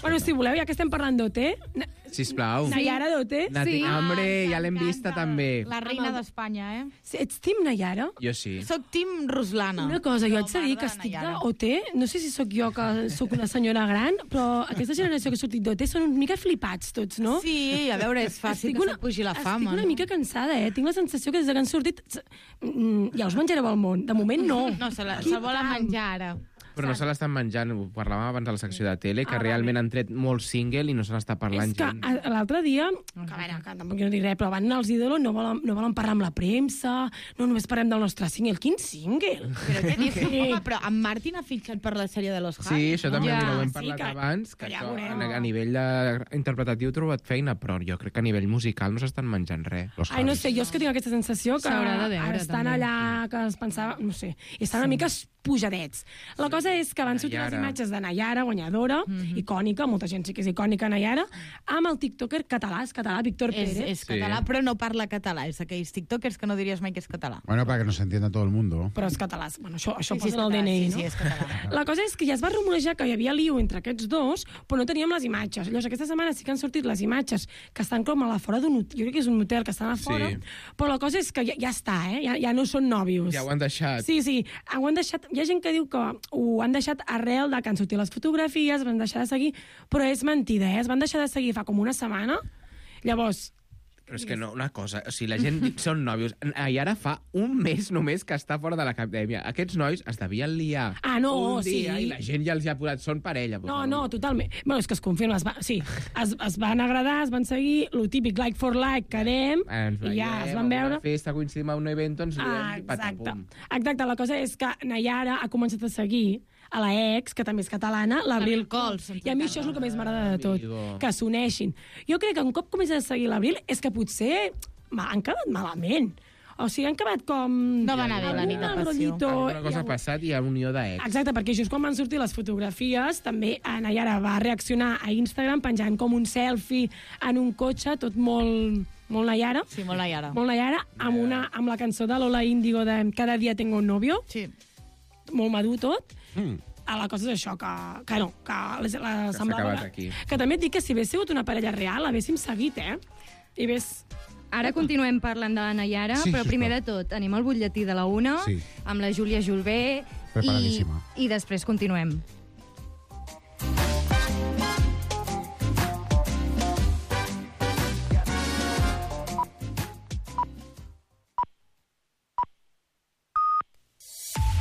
Bueno, si voleu, ja que estem parlant d'O T, Na- Sisplau. Nayara d'O T, Nati, Sí. Hombre, ja l'hem vista també. La reina d'Espanya, eh? ets team Nayara? Jo sí. Soc Tim Ruslana. Una cosa, jo No, haig de dir que m'agrada estic Nayara. d'O T, no sé si sóc jo que sóc una senyora gran, però aquesta generació que ha sortit d'O T són una mica flipats tots, no? Sí, a veure, és fàcil Estic que una- se't pugi la fama. Estic una no? mica cansada, eh? Tinc la sensació que des que han sortit... mm, Ja us menjareu el món. De moment, no. No, se la, Quin se volen tram. menjar ara. Però no se l'estan menjant, ho parlàvem abans a la secció de tele, que Ah, realment han tret molt single i no se n'està parlant És que gens. a- l'altre dia, que a veure, que tampoc no dic res, però van anar als ídolos, no volen, no volen parlar amb la premsa, no només parlem del nostre single. Quin single? Però què dius? Sí. Home, però en Martin ha fitxat per la sèrie de Los Sí, Harris, això no? també Ja, mira, ho hem sí parlat que- abans, que que ja això, veurem. a, a nivell de interpretatiu he trobat feina, però jo crec que a nivell musical no s'estan menjant res. Ai, no sé, jo és que tinc aquesta sensació que S'haurà de veure, estan també. allà, que es pensava, no sé, i estan una mica pujadets. La cosa és que van sortir les Nayara. imatges de Nayara, guanyadora, icònica, molta gent sí que és icònica, Nayara, amb el tiktoker català, és català, Víctor És, Pérez. és Sí. català, però no parla català. És aquells tiktokers que no diries mai que és català. Bueno, para que nos entienda todo el mundo. Però és català. Bueno, això, això Sí, sí, posa és en el català, D N I, sí, no? sí, és català. La cosa és que ja es va rumorejar que hi havia liu entre aquests dos, però no teníem les imatges. Llavors, aquesta setmana sí que han sortit les imatges que estan com a la fora d'un hotel. Jo crec que és un hotel que estan a fora, Sí. però la cosa és que ja, ja està, eh? Ja, ja no són nòvios. Ja ho han deixat. Sí, sí, ho han deixat... Hi ha gent que diu que ho han deixat arrel de que han sortit les fotografies, van deixar de seguir, però és mentida, eh? Es van deixar de seguir fa com una setmana. Llavors, Però és que no, una cosa, o sigui, la gent són nòvios, i ara fa un mes només que està fora de l'acadèmia. Aquests nois es devien liar Ah, no, un dia sí. i la gent ja els hi ha posat, són parella. no, no, totalment. Bueno, és que es confirma, es va, sí, es, es van agradar, es van seguir, lo típic like for like, quedem, Ens i ja es veiem, van a veure. una festa, coincidim a un event, ens Ah, liem i exacte. patapum. Exacte, la cosa és que Nayara ha començat a seguir a la ex, que també és catalana, l'Abril Cols. I a mi això és el que més m'agrada de tot, que s'uneixin. Jo crec que un cop comences a seguir l'Abril és que potser han quedat malament. O sigui, han acabat com... No va anar bé la nit de passió. Alguna cosa ha passat i hi ha unió d'ex. Exacte, perquè just quan van sortir les fotografies, també Nayara va reaccionar a Instagram penjant com un selfie en un cotxe, tot molt... Molt Nayara. Sí, molt Nayara. Molt Nayara, amb, una, amb la cançó de Lola Índigo de Cada dia tengo un novio. Sí. Molt madur tot. Mm. La cosa és això, que, que no, que, la, la Que s'ha acabat aquí. Que també et dic que si hagués sigut una parella real, l'haguéssim seguit, eh? I ves... Ara continuem parlant de la Nayara, Sí, però primer de tot anem al butlletí de la una, Sí. amb la Júlia Julbé, i, Preparadíssima. i després continuem.